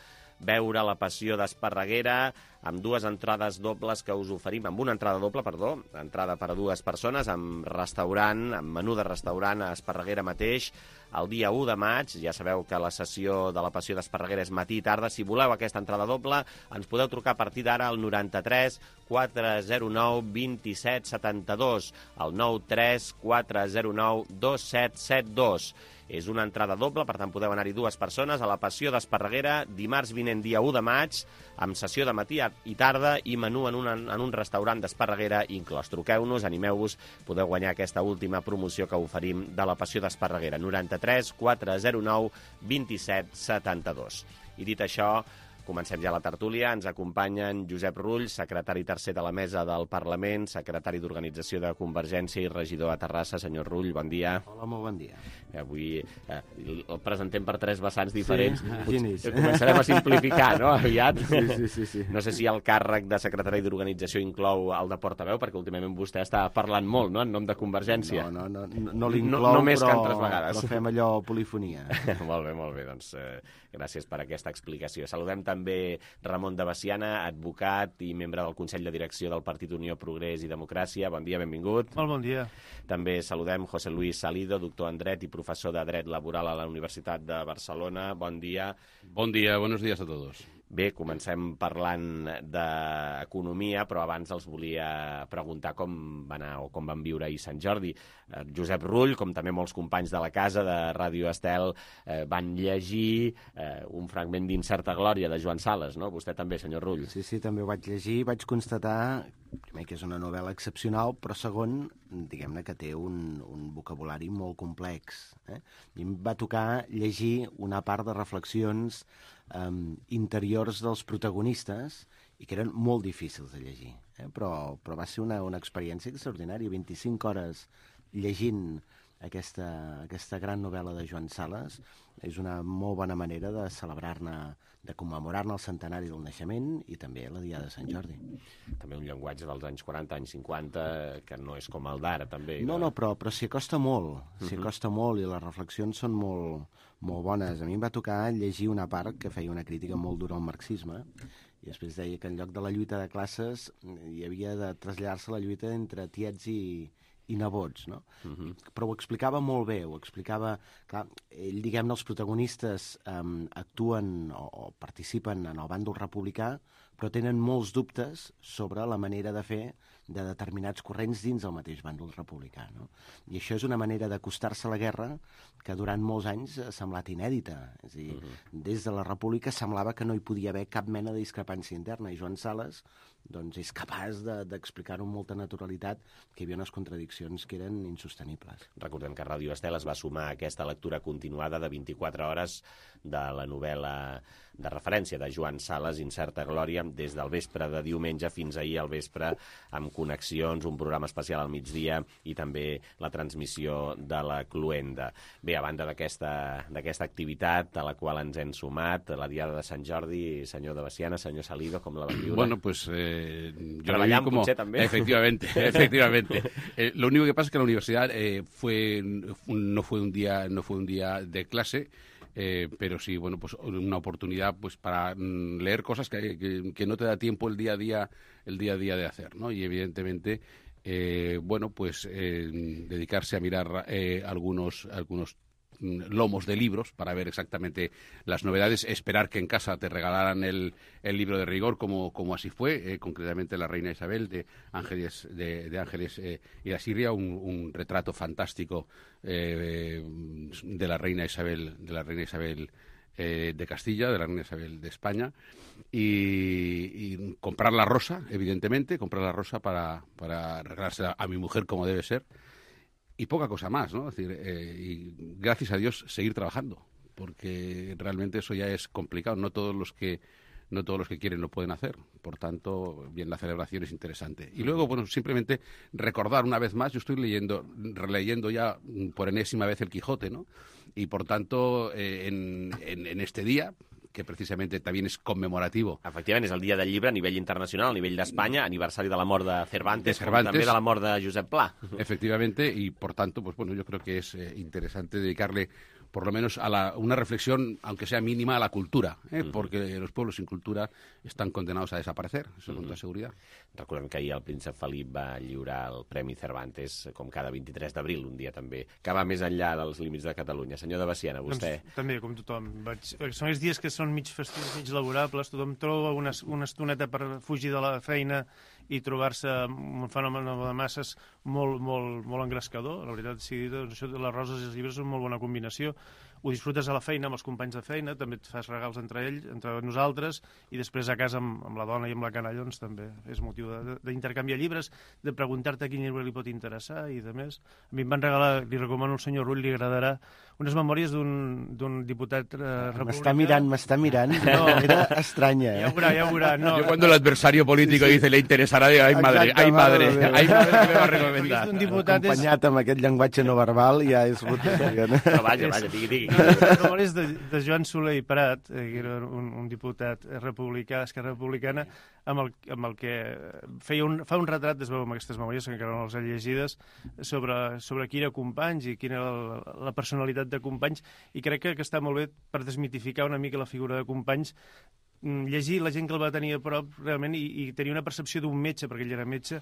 veure La Passió d'Esparreguera amb dues entrades dobles que us oferim, amb una entrada doble, perdó, entrada per a dues persones, amb restaurant, amb menú de restaurant a Esparreguera mateix, el dia u de maig. Ja sabeu que la sessió de La Passió d'Esparreguera és matí i tarda. Si voleu aquesta entrada doble, ens podeu trucar a partir d'ara al noranta-tres quatre zero nou dos set set dos, al nou tres quatre zero nou dos set set dos. És una entrada doble, per tant podeu anar-hi dues persones a La Passió d'Esparreguera, dimarts vinent, dia u de maig, amb sessió de matí i tarda i menú en un, en un restaurant d'Esparreguera inclòs. Truqueu-nos, animeu-vos, podeu guanyar aquesta última promoció que oferim de La Passió d'Esparreguera, noranta-tres quatre zero nou dos set set dos. I dit això, comencem ja la tertúlia. Ens acompanyen Josep Rull, secretari tercer de la Mesa del Parlament, secretari d'Organització de Convergència i regidor a Terrassa. Senyor Rull, bon dia. Hola, molt bon dia. Avui eh, el presentem per tres vessants diferents. Sí, Potser, començarem a simplificar, no?, aviat. Sí, sí, sí, sí. No sé si el càrrec de secretari d'Organització inclou el de portaveu, perquè últimament vostè està parlant molt, no?, en nom de Convergència. No, no, no, no l'inclou, no, no més però, que altres vegades. però fem allò polifonia. Molt bé, molt bé, doncs eh, gràcies per aquesta explicació. Saludem també Ramon de Baciana, advocat i membre del Consell de Direcció del Partit Unió, Progrés i Democràcia. Bon dia, benvingut. Molt bon dia. També saludem José Luis Salido, doctor en Dret i professor de Dret Laboral a la Universitat de Barcelona. Bon dia. Bon dia, buenos días a todos. Bé, comencem parlant d'economia, però abans els volia preguntar com va anar o com van viure ahir Sant Jordi. Eh, Josep Rull, com també molts companys de la casa de Ràdio Estel, eh, van llegir eh, un fragment d'Incerta Glòria de Joan Sales, no? Vostè també, senyor Rull. Sí, sí, també ho vaig llegir. Vaig constatar, primer, que és una novel·la excepcional, però segon, diguem-ne que té un, un vocabulari molt complex. Eh? I em va tocar llegir una part de reflexions Um, interiors dels protagonistes i que eren molt difícils de llegir, eh? però, però va ser una, una experiència extraordinària. vint-i-cinc hores llegint aquesta, aquesta gran novel·la de Joan Sales és una molt bona manera de celebrar-ne, de commemorar-ne el centenari del naixement i també la Diada de Sant Jordi. També un llenguatge dels anys quaranta, anys cinquanta, que no és com el d'ara, també. No, no, però, però s'hi acosta molt, s'hi acosta molt i les reflexions són molt, molt bones. A mi em va tocar llegir una part que feia una crítica molt dura al marxisme i després deia que en lloc de la lluita de classes hi havia de traslladar-se la lluita entre tiets i, i nebots, no? Uh-huh. Però ho explicava molt bé, ho explicava... Clar, ell, diguem-ne, els protagonistes um, actuen o, o participen en el bàndol republicà, però tenen molts dubtes sobre la manera de fer de determinats corrents dins del mateix bàndol republicà, no? I això és una manera d'acostar-se a la guerra que durant molts anys ha semblat inèdita. És a dir, uh-huh. des de la República semblava que no hi podia haver cap mena de discrepància interna, i Joan Sales doncs, és capaç de, d'explicar-ho amb molta naturalitat, que hi havia unes contradiccions que eren insostenibles. Recordem que Ràdio Estel es va sumar a aquesta lectura continuada de vint-i-quatre hores de la novel·la de referència de Joan Sales, Incerta Glòria, des del vespre de diumenge fins ahir al vespre, amb connexions, un programa especial al migdia i també la transmissió de la Cluenda. Bé, a banda d'aquesta d'aquesta activitat a la qual ens hem sumat, la Diada de Sant Jordi, senyor de Baciana, senyor Salido, com la van viure? Bueno, pues eh, yo Treballant, como... potser, també. Efectivamente, efectivamente. Eh, lo único que pasa es que la universidad eh, fue no fue un día no fue un día de clase. Eh, pero sí, bueno, pues una oportunidad pues para mm, leer cosas que, que, que no te da tiempo el día a día el día a día de hacer, ¿no? Y evidentemente, eh, bueno, pues eh, dedicarse a mirar eh, algunos algunos lomos de libros para ver exactamente las novedades, esperar que en casa te regalaran el, el libro de rigor, como, como así fue, eh, concretamente La Reina Isabel de Ángeles de, de Ángeles eh, y Asiria, un, un retrato fantástico eh, de la Reina Isabel, de la Reina Isabel eh, de Castilla, de la Reina Isabel de España, y, y comprar la rosa, evidentemente, comprar la rosa para, para regalarse a, a mi mujer como debe ser. Y poca cosa más, ¿no? Es decir, eh, y gracias a Dios seguir trabajando, porque realmente eso ya es complicado. No todos los que no todos los que quieren lo pueden hacer. Por tanto, bien, la celebración es interesante. Y luego, bueno, simplemente recordar una vez más, yo estoy leyendo, releyendo ya por enésima vez el Quijote, ¿no? Y por tanto, eh, en, en, en este día, que precisamente también es conmemorativo. Efectivament, és el dia del llibre a nivell internacional, a nivell d'Espanya, aniversari de la mort de Cervantes, de Cervantes, com també de la mort de Josep Pla. Efectivamente, y por tanto, pues bueno, yo creo que es eh, interesante dedicarle por lo menos a la, una reflexión, aunque sea mínima, a la cultura, eh? uh-huh. porque los pueblos sin cultura están condenados a desaparecer, eso uh-huh. con toda seguridad. Recordem que ahir el príncep Felip va lliurar el Premi Cervantes, com cada vint-i-tres d'abril, un dia també, que va més enllà dels límits de Catalunya. Senyor de Baciana, vostè... Doncs, també, com tothom. Vaig... Són els dies que són mig festius, mig laborables, tothom troba una, una estoneta per fugir de la feina i trobar-se un fenomen de masses molt, molt, molt engrescador. La veritat, sí, doncs, això de les roses i els llibres és una molt bona combinació. Ho disfrutes a la feina amb els companys de feina, també et fas regals entre ells, entre nosaltres, i després a casa amb, amb la dona i amb la canalla, doncs també és motiu d'intercanviar llibres, de preguntar-te quin llibre li pot interessar i de més. A mi em van regalar, li recomano al senyor Rull, li agradarà, unes memòries d'un diputat eh, republicà. M'està mirant, m'està mirant. No, era estranya. Eh? Ja ho veurà, ja ho veurà. No. Yo cuando el adversario político sí, sí. dice le interesará, digo, ay madre, ay madre, ay madre que me va a recomendar. Acompanyat amb aquest llenguatge no verbal ja és... No, vaja, vaja, digui, digui. Memòries de, de Joan Soler i Prat, eh, que era un, un diputat republicà, d'Esquerra Republicana, amb el, amb el que feia un, fa un retrat, es veu amb aquestes memòries, que encara no les he llegides, sobre, sobre qui era Companys i quina era la, la personalitat de Companys, i crec que, que està molt bé per desmitificar una mica la figura de Companys, llegir la gent que el va tenir a prop realment i, i tenir una percepció d'un metge, perquè ell era metge,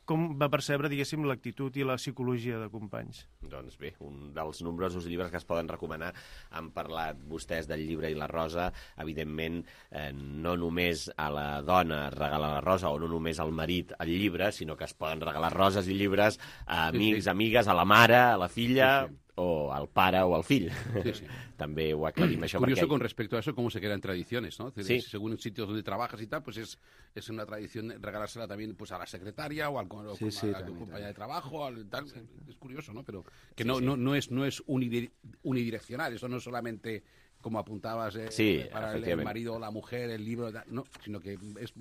com va percebre, diguéssim, l'actitud i la psicologia de Companys. Doncs bé, un dels nombrosos llibres que es poden recomanar. Han parlat vostès del llibre i la rosa. Evidentment, eh, no només a la dona es regala la rosa o no només al marit el llibre, sinó que es poden regalar roses i llibres a amics, sí, sí. amigues, a la mare, a la filla... Sí, sí. o al pare o al fill. Sí, sí. També ho aclarim això. Curioso perquè... con respecto a eso, cómo se quedan tradiciones, ¿no? Sí. Según sitios donde trabajas y tal, pues es, es una tradición regalársela también pues a la secretaria o al o sí, sí, a la compañera de trabajo, al, tal. Sí. Es curioso, ¿no? Pero que sí, no, sí. no, no es, no es unidireccional, eso no es solamente... como apuntabas, eh, sí, para el, el marido o la mujer, el libro, no, sinó que és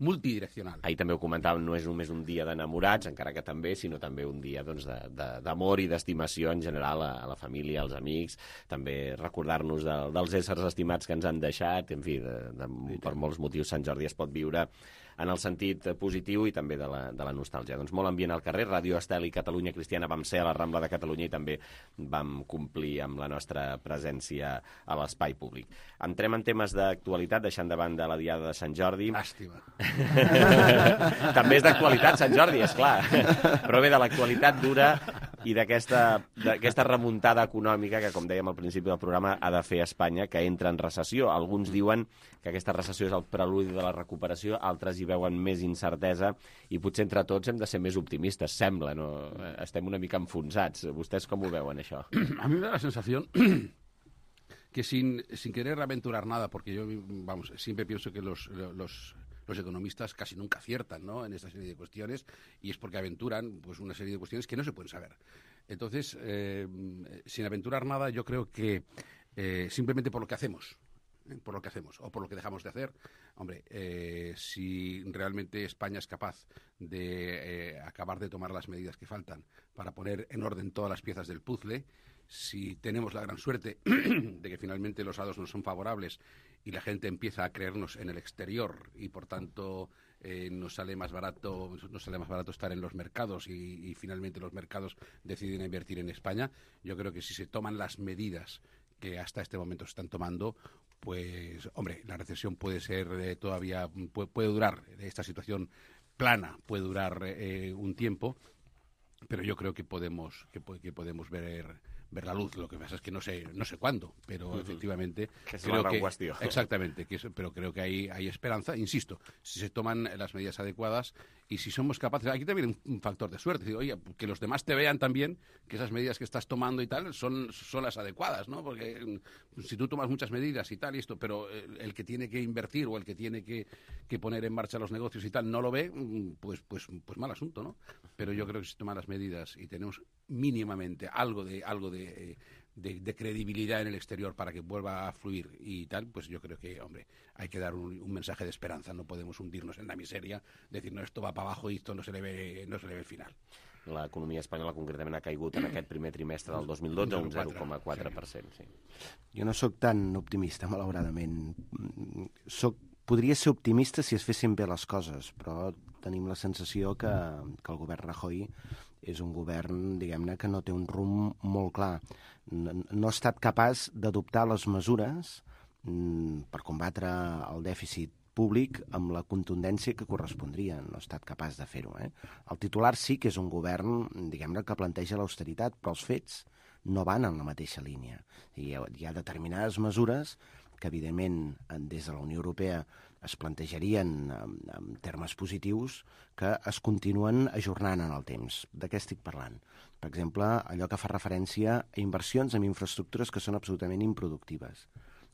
multidireccional. Ahir també ho comentàvem, no és només un dia d'enamorats, encara que també, sinó també un dia doncs, d'amor i d'estimació en general a, a la família, als amics, també recordar-nos de, dels éssers estimats que ens han deixat, en fi, de, de, per molts motius Sant Jordi es pot viure en el sentit positiu i també de la, de la nostàlgia. Doncs molt ambient al carrer, Ràdio Estel i Catalunya Cristiana vam ser a la Rambla de Catalunya i també vam complir amb la nostra presència a l'espai públic. Entrem en temes d'actualitat, deixant de banda la Diada de Sant Jordi. Làstima. També és d'actualitat Sant Jordi, és clar. Però bé, de l'actualitat dura i d'aquesta remuntada econòmica que, com dèiem al principi del programa, ha de fer Espanya, que entra en recessió. Alguns diuen que aquesta recessió és el preludi de la recuperació, altres hi veuen més incertesa i potser entre tots hem de ser més optimistes, sembla, no? Estem una mica enfonsats. Vostès com ho veuen, això? A mi me da la sensación que sin, sin querer aventurar nada, porque yo, vamos, siempre pienso que los, los, los economistas casi nunca aciertan, ¿no?, en esta serie de cuestiones, y es porque aventuran pues una serie de cuestiones que no se pueden saber. Entonces, eh, sin aventurar nada, yo creo que eh, simplemente por lo que hacemos, por lo que hacemos o por lo que dejamos de hacer. Hombre, eh, si realmente España es capaz de eh, acabar de tomar las medidas que faltan para poner en orden todas las piezas del puzzle, si tenemos la gran suerte de que finalmente los datos no son favorables y la gente empieza a creernos en el exterior y por tanto eh, nos sale más barato nos sale más barato estar en los mercados y, y finalmente los mercados deciden invertir en España, yo creo que si se toman las medidas que hasta este momento se están tomando, pues, hombre, la recesión puede ser eh, todavía, puede, puede durar, esta situación plana puede durar eh, un tiempo, pero yo creo que podemos que, que podemos ver ver la luz. Lo que pasa es que no sé no sé cuándo, pero uh-huh. efectivamente que es creo la que cuestión. Exactamente, que es, pero creo que hay hay esperanza, insisto, si se toman las medidas adecuadas y si somos capaces, aquí también un, un factor de suerte, digo, oye, que los demás te vean también que esas medidas que estás tomando y tal son son las adecuadas, ¿no? Porque si tú tomas muchas medidas y tal y esto, pero el, el que tiene que invertir o el que tiene que, que poner en marcha los negocios y tal no lo ve, pues pues pues mal asunto, ¿no? Pero yo creo que si toman las medidas y tenemos mínimamente algo de algo de, de, de credibilidad en el exterior para que vuelva a fluir y tal, pues yo creo que, hombre, hay que dar un, un mensaje de esperanza. No podemos hundirnos en la miseria, decir, no, esto va para abajo y esto no se le ve, no se le ve el final. L'economia espanyola concretament ha caigut en aquest primer trimestre del dos mil dotze un zero coma quatre per cent. Sí. Jo no sóc tan optimista, malauradament. Soc, podria ser optimista si es fessin bé les coses, però tenim la sensació que, que el govern Rajoy és un govern, diguem-ne, que no té un rumb molt clar. No, no ha estat capaç d'adoptar les mesures mm, per combatre el dèficit públic amb la contundència que correspondria. No ha estat capaç de fer-ho. Eh? El titular sí que és un govern, diguem-ne, que planteja l'austeritat, però els fets no van en la mateixa línia. Hi ha, hi ha determinades mesures que, evidentment, des de la Unió Europea es plantejarien en, en termes positius, que es continuen ajornant en el temps. De què estic parlant? Per exemple, allò que fa referència a inversions en infraestructures que són absolutament improductives.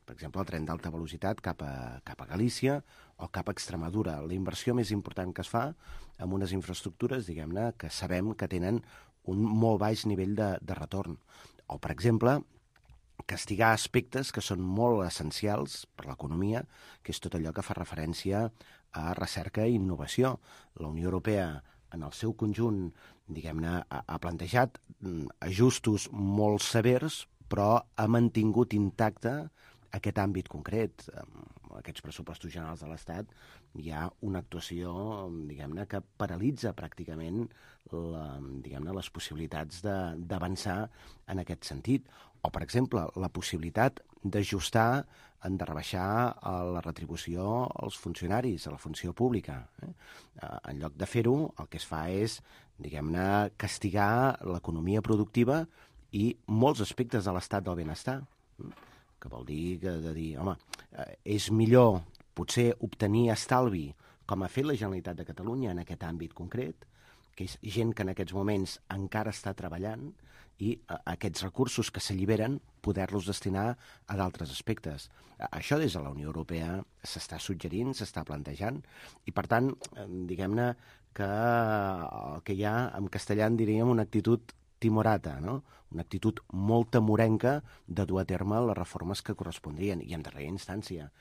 Per exemple, el tren d'alta velocitat cap a, cap a Galícia o cap a Extremadura. La inversió més important que es fa en unes infraestructures, diguem-ne, que sabem que tenen un molt baix nivell de, de retorn. O, per exemple, castigar aspectes que són molt essencials per l'economia, que és tot allò que fa referència a recerca i innovació. La Unió Europea, en el seu conjunt, diguem-ne, ha, ha plantejat ajustos molt severs, però ha mantingut intacte aquest àmbit concret. En aquests pressupostos generals de l'Estat hi ha una actuació, diguem-ne, que paralitza pràcticament la, diguem-ne, les possibilitats d'avançar en aquest sentit. O, per exemple, la possibilitat d'ajustar, de rebaixar la retribució als funcionaris, a la funció pública. Eh? En lloc de fer-ho, el que es fa és, diguem-ne, castigar l'economia productiva i molts aspectes de l'estat del benestar, que vol dir que de dir, home, és millor potser obtenir estalvi, com ha fet la Generalitat de Catalunya en aquest àmbit concret, que és gent que en aquests moments encara està treballant, i aquests recursos que s'alliberen poder-los destinar a d'altres aspectes. Això des de la Unió Europea s'està suggerint, s'està plantejant, i per tant, diguem-ne que el que hi ha, en castellà en diríem una actitud timorata, no? Una actitud molt temorenca de dur a terme les reformes que correspondrien, i en darrera instància,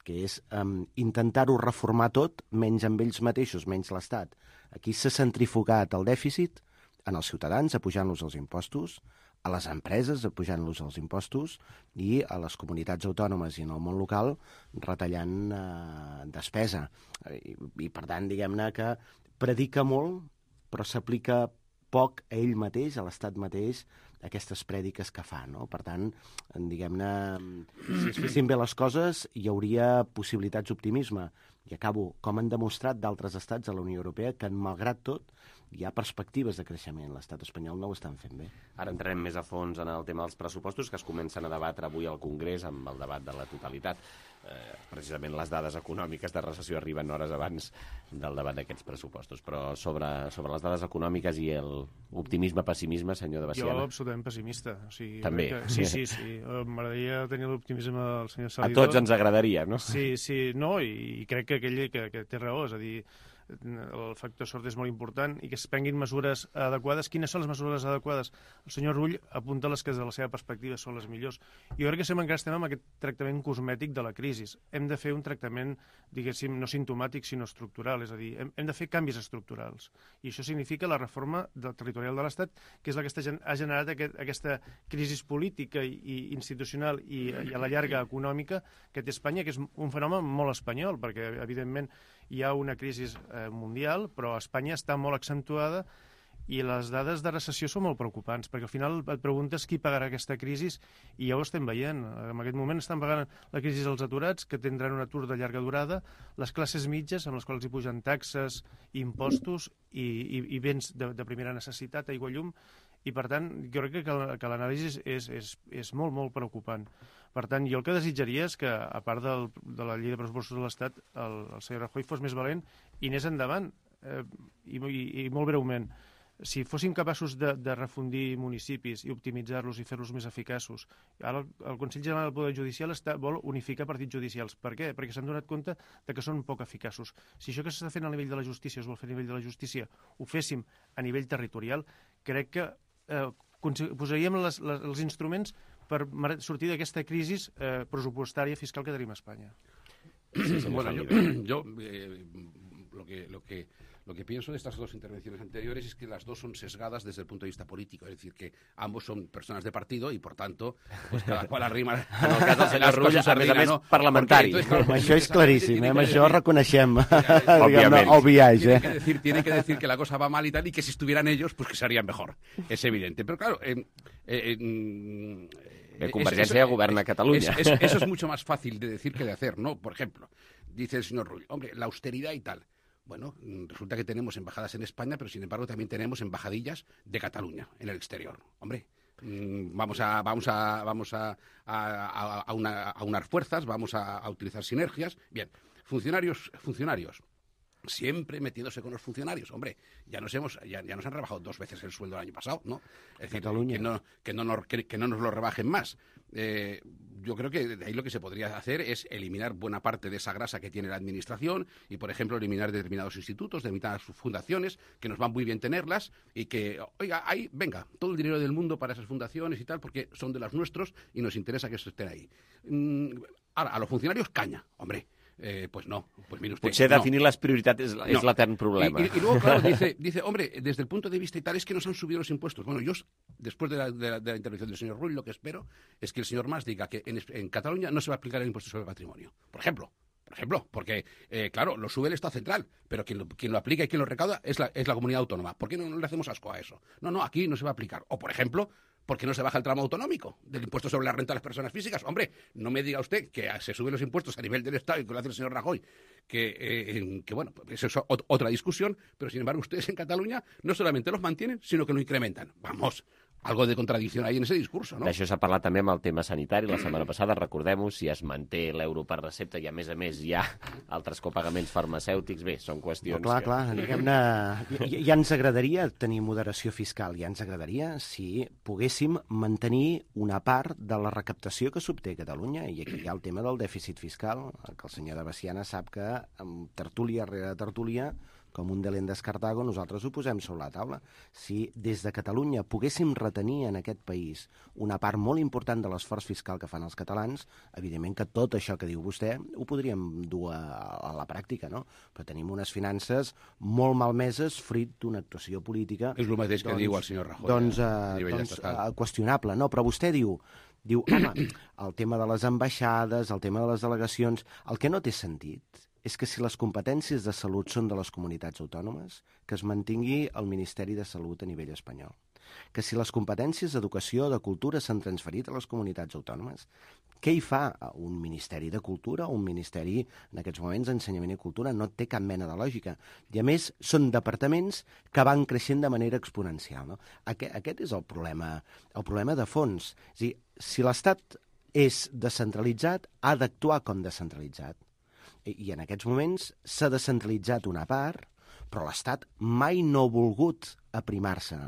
que és um, intentar-ho reformar tot, menys amb ells mateixos, menys l'Estat. Aquí s'ha centrifugat el dèficit en els ciutadans, apujant-los els impostos, a les empreses, apujant-los els impostos, i a les comunitats autònomes i en el món local retallant eh, despesa. I, I, per tant, diguem-ne que predica molt, però s'aplica poc a ell mateix, a l'Estat mateix, aquestes prèdiques que fa, no? Per tant, diguem-ne, si es fessin bé les coses, hi hauria possibilitats d'optimisme. I acabo, com han demostrat d'altres estats de la Unió Europea, que, malgrat tot, hi ha perspectives de creixement. L'estat espanyol no ho estan fent bé. Ara entrarem més a fons en el tema dels pressupostos, que es comencen a debatre avui al Congrés amb el debat de la totalitat. Eh, precisament les dades econòmiques de recessió arriben hores abans del debat d'aquests pressupostos. Però sobre, sobre les dades econòmiques i l'optimisme-pessimisme, senyor de Baciana. Jo absolutament pessimista. O sigui, també. Que, sí, sí, sí. M'agradaria tenir l'optimisme del senyor Salidó. A tots ens agradaria, no? Sí, sí, no, i, i crec que aquell que, que té raó, és a dir, el factor sort és molt important i que es prenguin mesures adequades. Quines són les mesures adequades? El senyor Rull apunta les que des de la seva perspectiva són les millors. Jo crec que sempre encara estem amb aquest tractament cosmètic de la crisi. Hem de fer un tractament, diguéssim, no simptomàtic, sinó estructural. És a dir, hem, hem de fer canvis estructurals. I això significa la reforma del territorial de l'Estat, que és la que està, ha generat aquest, aquesta crisi política i, i institucional i, i a la llarga econòmica que té Espanya, que és un fenomen molt espanyol, perquè, evidentment, hi ha una crisi eh, mundial, però a Espanya està molt accentuada i les dades de recessió són molt preocupants, perquè al final et preguntes qui pagarà aquesta crisi i ja ho estem veient. En aquest moment estan pagant la crisi dels aturats, que tindran un atur de llarga durada, les classes mitges, amb les quals hi pugen taxes, impostos i, i, i béns de, de primera necessitat, aigua, llum, i per tant jo crec que, que l'anàlisi és, és, és molt, molt preocupant. Per tant, jo el que desitjaria és que, a part del, de la llei de pressupostos de l'Estat, el, el senyor Rajoy fos més valent i anés endavant. Eh, i, i, I molt breument, si fóssim capaços de, de refundir municipis i optimitzar-los i fer-los més eficaços, ara el, el Consell General del Poder Judicial està, vol unificar partits judicials. Per què? Perquè s'han donat compte de que són poc eficaços. Si això que s'està fent a nivell de la justícia es vol fer a nivell de la justícia, ho féssim a nivell territorial, crec que eh, posaríem les, les, els instruments per sortir d'aquesta crisi eh, pressupostària fiscal que tenim a Espanya. Sí, bueno, yo, yo eh, lo que... Lo que Lo que pienso de estas dos intervenciones anteriores es que las dos son sesgadas desde el punto de vista político, es decir, que ambos son personas de partido y, por tanto, pues cada cual arrima... En el cas del senyor Rull, a més a més, parlamentari. Entonces, claro, això és claríssim, eh? Amb això reconeixem el viatge. Tiene que, decir, tiene que decir que la cosa va mal y tal, y que si estuvieran ellos, pues que serían mejor. Es evidente. Pero claro... Eh, eh, eh, De Convergència governa Cataluña. Es, es, eso es mucho más fácil de decir que de hacer, ¿no? Por ejemplo, dice el señor Rull, hombre, la austeridad y tal... Bueno, resulta que tenemos embajadas en España, pero sin embargo también tenemos embajadillas de Cataluña en el exterior. Hombre, vamos a vamos a vamos a, a, a, una, a unar fuerzas, vamos a, a utilizar sinergias. Bien, funcionarios, funcionarios. Siempre metiéndose con los funcionarios. Hombre, ya nos hemos ya, ya nos han rebajado dos veces el sueldo el año pasado, ¿no? Es decir, que no, que, no nos, que, que no nos lo rebajen más. Eh, yo creo que de ahí lo que se podría hacer es eliminar buena parte de esa grasa que tiene la administración y, por ejemplo, eliminar determinados institutos, determinadas fundaciones, que nos van muy bien tenerlas y que, oiga, ahí, venga, todo el dinero del mundo para esas fundaciones y tal, porque son de las nuestros y nos interesa que estén ahí. Mm, ahora, a los funcionarios, caña, hombre. Eh, pues no, pues mire usted. Potser no. definir las prioridades es, no. es l'etern problema. Y, y, y luego, claro, dice, dice, hombre, desde el punto de vista y tal, es que nos han subido los impuestos. Bueno, yo, después de la, de la, de la intervención del señor Rull, lo que espero es que el señor Mas diga que en, en Cataluña no se va a aplicar el impuesto sobre el patrimonio. Por ejemplo. Por ejemplo, porque, eh, claro, lo sube el Estado central, pero quien lo, quien lo aplica y quien lo recauda es la, es la comunidad autónoma. ¿Por qué no, no le hacemos asco a eso? No, no, aquí no se va a aplicar. O, por ejemplo, ¿por qué no se baja el tramo autonómico del impuesto sobre la renta de las personas físicas? Hombre, no me diga usted que se suben los impuestos a nivel del Estado y que lo hace el señor Rajoy, que, eh, que bueno, eso es otra discusión, pero sin embargo ustedes en Cataluña no solamente los mantienen, sino que lo incrementan. Vamos, algo de contradicció ahí en ese discurso, no? D'això s'ha parlat també amb el tema sanitari. La setmana passada, recordem-ho, si es manté l'euro per recepta i, a més a més, hi ha altres copagaments farmacèutics, bé, són qüestions... No, clar, que... clar, diguem-ne... Ja, ja ens agradaria tenir moderació fiscal, ja ens agradaria si poguéssim mantenir una part de la recaptació que s'obté a Catalunya, i aquí hi ha el tema del dèficit fiscal, que el senyor de Baciana sap que amb tertúlia rere tertúlia, com un delent d'Escartago, nosaltres ho posem sobre la taula. Si des de Catalunya poguéssim retenir en aquest país una part molt important de l'esforç fiscal que fan els catalans, evidentment que tot això que diu vostè ho podríem dur a, a la pràctica, no? Però tenim unes finances molt malmeses fruit d'una actuació política... És el mateix que doncs, diu el senyor Rajoy. Doncs, eh, doncs eh, qüestionable, no? Però vostè diu, diu, home, el tema de les ambaixades, el tema de les delegacions, el que no té sentit és que si les competències de salut són de les comunitats autònomes, que es mantingui el Ministeri de Salut a nivell espanyol. Que si les competències d'educació o de cultura s'han transferit a les comunitats autònomes, què hi fa un Ministeri de Cultura o un Ministeri, en aquests moments, d'Ensenyament i Cultura? No té cap mena de lògica. I, a més, són departaments que van creixent de manera exponencial. No? Aquest, aquest és el problema, el problema de fons. És a dir, si l'Estat és descentralitzat, ha d'actuar com descentralitzat. I en aquests moments s'ha descentralitzat una part, però l'Estat mai no ha volgut aprimar-se.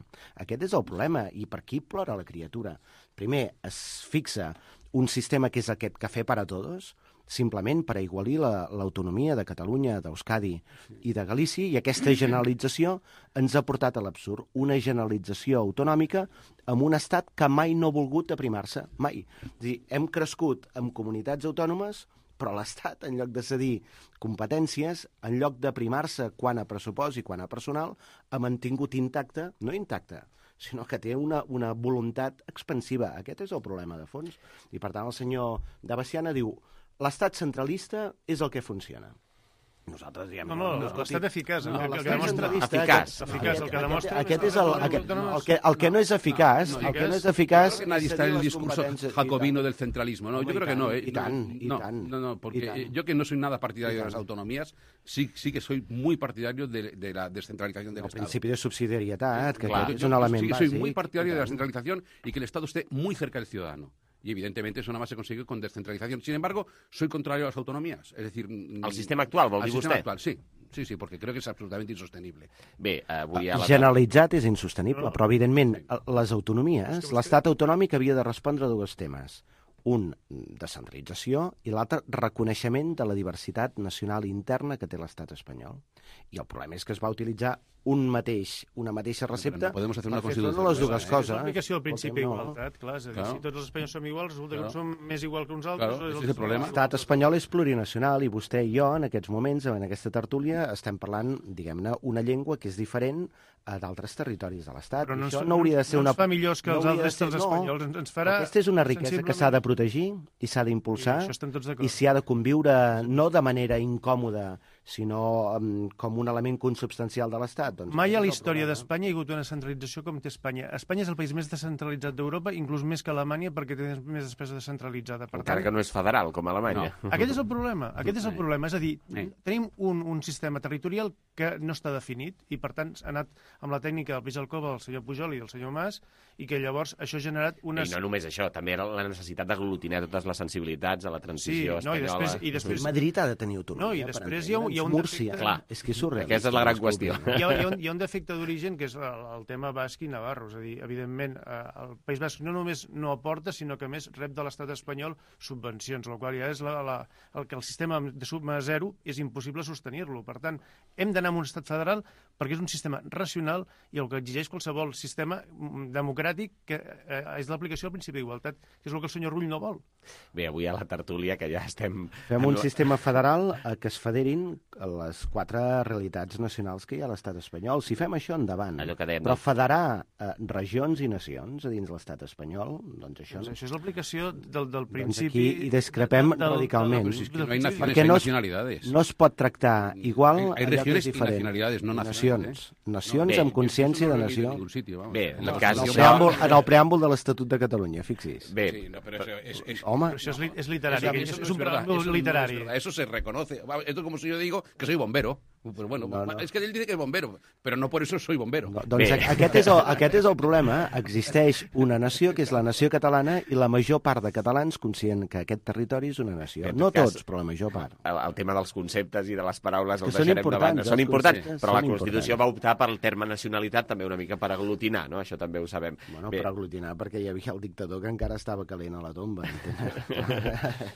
Aquest és el problema, i per aquí plora la criatura. Primer, es fixa un sistema que és aquest cafè para todos, simplement per aigualir l'autonomia de Catalunya, d'Euskadi i de Galícia, i aquesta generalització ens ha portat a l'absurd. Una generalització autonòmica amb un estat que mai no ha volgut aprimar-se, mai. És a dir, hem crescut amb comunitats autònomes, però l'Estat, en lloc de cedir competències, en lloc d'aprimar-se quant a pressupost i quant a personal, ha mantingut intacte, no intacte, sinó que té una, una voluntat expansiva. Aquest és el problema de fons. I, per tant, el senyor de Baciana diu l'Estat centralista és el que funciona. Nosaltres diem... No, no, no l'estat eficaç. No, el que l'estat demostra... eficaç. Eficaç, el que demostra... Aquest és el, aquest, el, que, el que no és eficaç, el que no és eficaç... Nadie está en el discurso jacobino del centralismo, ¿no? Yo creo que no, ¿eh? Y tan, y tan. No, no, porque yo que no soy nada partidario de las autonomías, sí, sí que soy muy partidario de, de la descentralización del Estado. El principi de subsidiarietat, que claro, és un element bàsic. Sí, soy muy partidario de la bàsic. descentralización y que el Estado esté muy cerca del ciudadano. Y evidentemente eso nada más se consigue con descentralización. Sin embargo, soy contrario a las autonomías. Es decir... Al sistema actual, vol dir vostè? Al sistema actual, sí. Sí, sí, porque creo que es absolutamente insostenible. Bé, avui a la... Generalitzat és insostenible, però evidentment les autonomies, l'estat autonòmic havia de respondre a dos temes. Un, descentralització, i l'altre, reconeixement de la diversitat nacional interna que té l'estat espanyol. I el problema és que es va utilitzar un mateix, una mateixa recepta, no podemos hacer una per fer front constitució a les dues nueva, eh? coses. És l'aplicació del principi no. d'igualtat, clar. És a dir, Claro. si tots els espanyols som iguals, resulta Claro. que som més igual que uns altres. Claro, ese els és el problema. L'estat espanyol és plurinacional i vostè i jo, en aquests moments, en aquesta tertúlia, estem parlant, diguem-ne, una llengua que és diferent a d'altres territoris de l'Estat. Però no Això ens- no hauria de ser no una... ens fa millors que no els hauria de altres ser- dels no. espanyols, ens- ens farà Aquesta és una riquesa que s'ha de protegir i s'ha d'impulsar I això estem tots d'acord. i s'hi ha de conviure no de manera incòmoda, sinó um, com un element consubstancial de l'Estat. Doncs Mai a la aquest és el història problema. d'Espanya hi ha hagut una centralització com té Espanya. Espanya és el país més descentralitzat d'Europa, inclús més que Alemanya, perquè té més despesa descentralitzada. Per Encara que no és federal, com Alemanya. No. Aquest és el problema. Aquest és el problema. És a dir, Eh. tenim un, un sistema territorial que no està definit i, per tant, ha anat amb la tècnica del peix al cova del senyor Pujol i del senyor Mas i que llavors això ha generat unes... I no només això, també era la necessitat d'aglutinar totes les sensibilitats a la transició Sí, no, i espanyola. després- i després- Madrid ha de tenir autonomia. No, i per després hi ha un- hi ha un entendre'ns. Múrcia, defecte- Clar. és que és surrealista. Aquesta és la gran qüestió. Hi ha, hi, ha un, hi ha un defecte d'origen que és el, el tema basc i navarro. És a dir, evidentment, eh, el País Basc no només no aporta, sinó que a més rep de l'estat espanyol subvencions, el qual ja és la, la, el que el sistema de suma zero és impossible sostenir-lo. Per tant, hem d'anar a un estat federal perquè és un sistema racional i el que exigeix qualsevol sistema mm, democràtic que eh, és l'aplicació del principi d'igualtat, que és el que el senyor Rull no vol. Bé, avui a la tertúlia, que ja estem... Fem en un la- sistema federal a què es federin les quatre realitats nacionals que hi ha a l'estat espanyol. Si fem això, endavant. Allò que dèiem, Però no? federar eh, regions i nacions a dins l'estat espanyol, doncs això... Doncs això és l'aplicació del, del Doncs principi... aquí hi discrepem del- del- radicalment. del- Pero si es que del no hay principi- naciones, Perquè hay no es- nacionalidades. No es pot tractar igual Hay- hay allò que és regiones y diferent. nacionalidades, no naciones, Nacions. ¿eh? Nacions No, bé, amb consciència Eso de no lo he leído en nació. ningún sitio, vamos. Bé, en La el cas En el, d'això- preàmbul, en el preàmbul de l'Estatut de Catalunya, fixi's. Bé, Sí, no, pero eso es, es, Home, Però això és, li, és literari, Eso, que eso és, no és un verdad, preàmbul eso no es literari. verdad, eso se reconoce. Va, esto es como si yo digo que soy bombero. Pero bueno, No, no. es que él dice que es bombero, pero no por eso soy bombero. no, doncs Bé. a- aquest és, el, aquest és el problema. Existeix una nació que és la nació catalana i la major part de catalans conscient que aquest territori és una nació. Bé, en No tot cas, tots, però la major part. el, el tema dels conceptes i de les paraules Que els són deixarem de importants, banda. els Són importants, conceptes però la són Constitució importants. va optar pel terme nacionalitat també una mica per aglutinar, no? Això també ho sabem. Bueno, Bé, per aglutinar, perquè hi havia el dictador que encara estava calent a la tomba.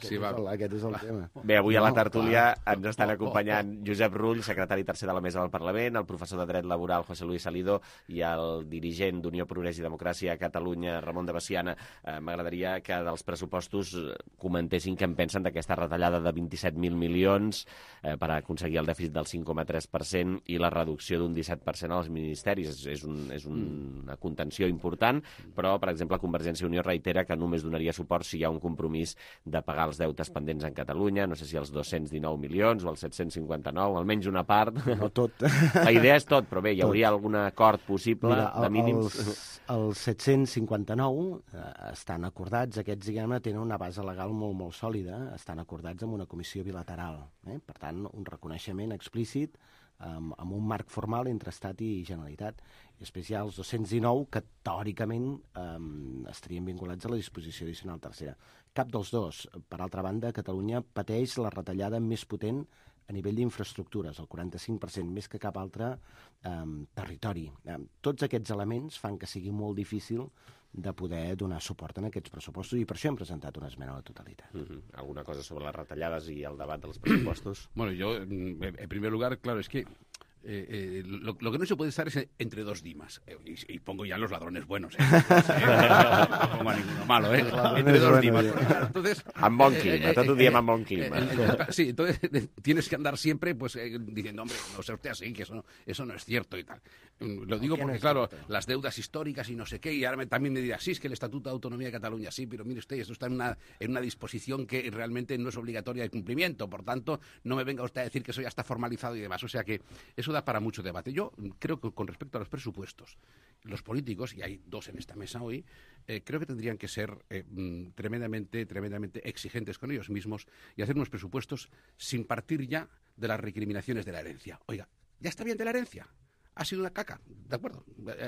Sí, va. Aquest és el tema. Bé, avui a la No, tertúlia clar. ens estan acompanyant Josep Rull, secretari tercer de la Mesa del Parlament, el professor de Dret Laboral José Luis Salido i el dirigent d'Unió Progrés i Democràcia a Catalunya, Ramon de Baciana. Eh, M'agradaria que dels pressupostos eh, comentessin què en pensen d'aquesta retallada de vint-i-set mil milions eh, per aconseguir el dèficit del cinc coma tres per cent i la reducció d'un disset per cent als ministeris. És, és, un, és un, una contenció important, però, per exemple, Convergència i Unió reitera que només donaria suport si hi ha un compromís de pagar els deutes pendents en Catalunya, no sé si els dos-cents dinou milions o els set-cents cinquanta-nou, almenys una part. No tot. La idea és tot, però bé, hi Tot. hauria algun acord possible Mira, de mínims? els, els set-cents cinquanta-nou eh, estan acordats, aquests, diguem-ne, tenen una base legal molt, molt sòlida, estan acordats amb una comissió bilateral. Eh? Per tant, un reconeixement explícit amb, amb un marc formal entre Estat i Generalitat. I després hi ha els dos-cents dinou que, teòricament, eh, estarien vinculats a la disposició addicional tercera. Cap dels dos. Per altra banda, Catalunya pateix la retallada més potent a nivell d'infraestructures, el quaranta-cinc per cent, més que cap altre eh, territori. Eh, tots aquests elements fan que sigui molt difícil de poder donar suport en aquests pressupostos i per això hem presentat una esmena a la totalitat. Uh -huh. Alguna cosa sobre les retallades i el debat dels pressupostos? Bueno, yo, mm, en primer lugar, claro, es que eh, eh, lo, lo que no se puede estar es entre dos dimas. Eh, y, y pongo ya los ladrones buenos, ¿eh? No pongo a ninguno malo, ¿eh? Entre dos dimas. Porque, claro, entonces, Amb bon clima, tot ho diem amb bon clima. eh, eh, eh, sí, entonces eh, tienes que andar siempre pues eh, diciendo, hombre, no sea usted así, que eso, eso no es cierto y tal. Mm, Lo digo ¿Qué no porque, es claro, cierto? las deudas históricas y no sé qué, y ahora me- también me dirá, sí, es que el Estatuto de Autonomía de Cataluña, sí, pero mire usted, esto está en una, en una disposición que realmente no es obligatoria de cumplimiento, por tanto, no me venga usted a decir que eso ya está formalizado y demás. O sea que eso da para mucho debate. Yo creo que con respecto a los presupuestos, los políticos, y hay dos en esta mesa hoy, eh, creo que tendrían que ser eh, mm, tremendamente, tremendamente exigentes con ellos mismos y hacer unos presupuestos sin partir ya de las recriminaciones de la herencia. Oiga, ya está bien de la herencia. Ha sido una caca, ¿de acuerdo?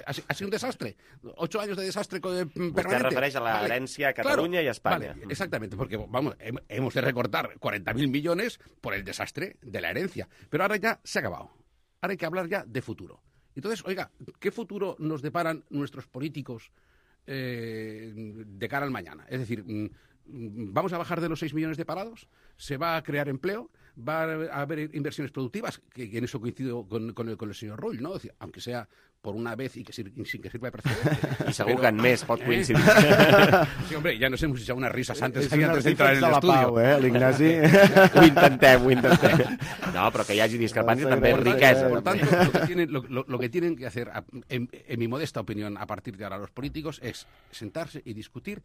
Ha, si- ha sido un desastre. Ocho años de desastre co- eh, permanente. Vostè refereix a la herencia a Catalunya Claro, y a España. Vale, exactamente, porque vamos, hem- hemos de recortar cuarenta mil millones por el desastre de la herencia. Pero ahora ya se ha acabado. Ahora hay que hablar ya de futuro. Entonces, oiga, ¿qué futuro nos deparan nuestros políticos eh, de cara al mañana? Es decir, mm, mm, ¿vamos a bajar de los seis millones de parados? ¿Se va a crear empleo? va a haber inversiones productivas, que, que en eso coincido con, con, el, con el señor Rull, ¿no? Decir, aunque sea por una vez y que sir, sin que sirva de precedente. I segur pero, que en més pot coincidir. Eh? Sí, hombre, ja nos hemos echado unas risas antes, antes de entrar en el estudio. Pau, eh, l'Ignasi. Ho intentem, ho intentem. No, però que hi hagi discrepància també és riquesa. Por tanto, lo que tienen, lo, lo, lo que tienen que hacer, en, en mi modesta opinión, a partir de ahora los políticos, es sentarse y discutir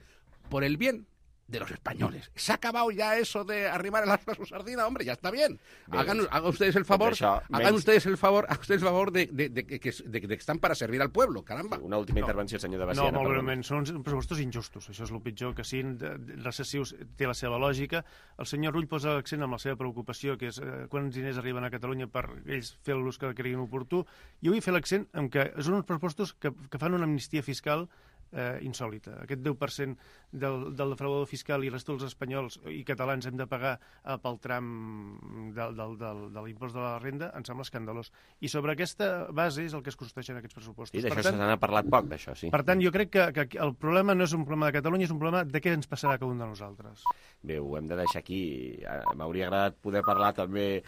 por el bien de los españoles. Se ha acabado ya eso de arrimar el aspa a su sardina, hombre, ya está bien. Hagan, hagan ustedes el favor, això, hagan menys... ustedes el favor, hagan ustedes el favor de, de, de, de, de, de que están para servir al pueblo, caramba. Una última no. intervenció, senyor de Baciana. No, molt breument, són pressupostos injustos, això és el pitjor, que siguin recessius, té la seva lògica. El senyor Rull posa l'accent amb la seva preocupació, que és eh, quants diners arriben a Catalunya per ells fer l'ús que creguin oportú. Jo vull fer l'accent en que són uns pressupostos que, que fan una amnistia fiscal Eh, insòlita. Aquest deu per cent del, del defraudador fiscal i resta dels espanyols i catalans hem de pagar eh, pel tram del, del, del, de l'impost de la renda, em sembla escandalós. I sobre aquesta base és el que es construeixen aquests pressupostos. I d'això se n'ha parlat poc, d'això, sí. Per tant, jo crec que, que el problema no és un problema de Catalunya, és un problema de què ens passarà a cada un de nosaltres. Bé, ho hem de deixar aquí. M'hauria agradat poder parlar també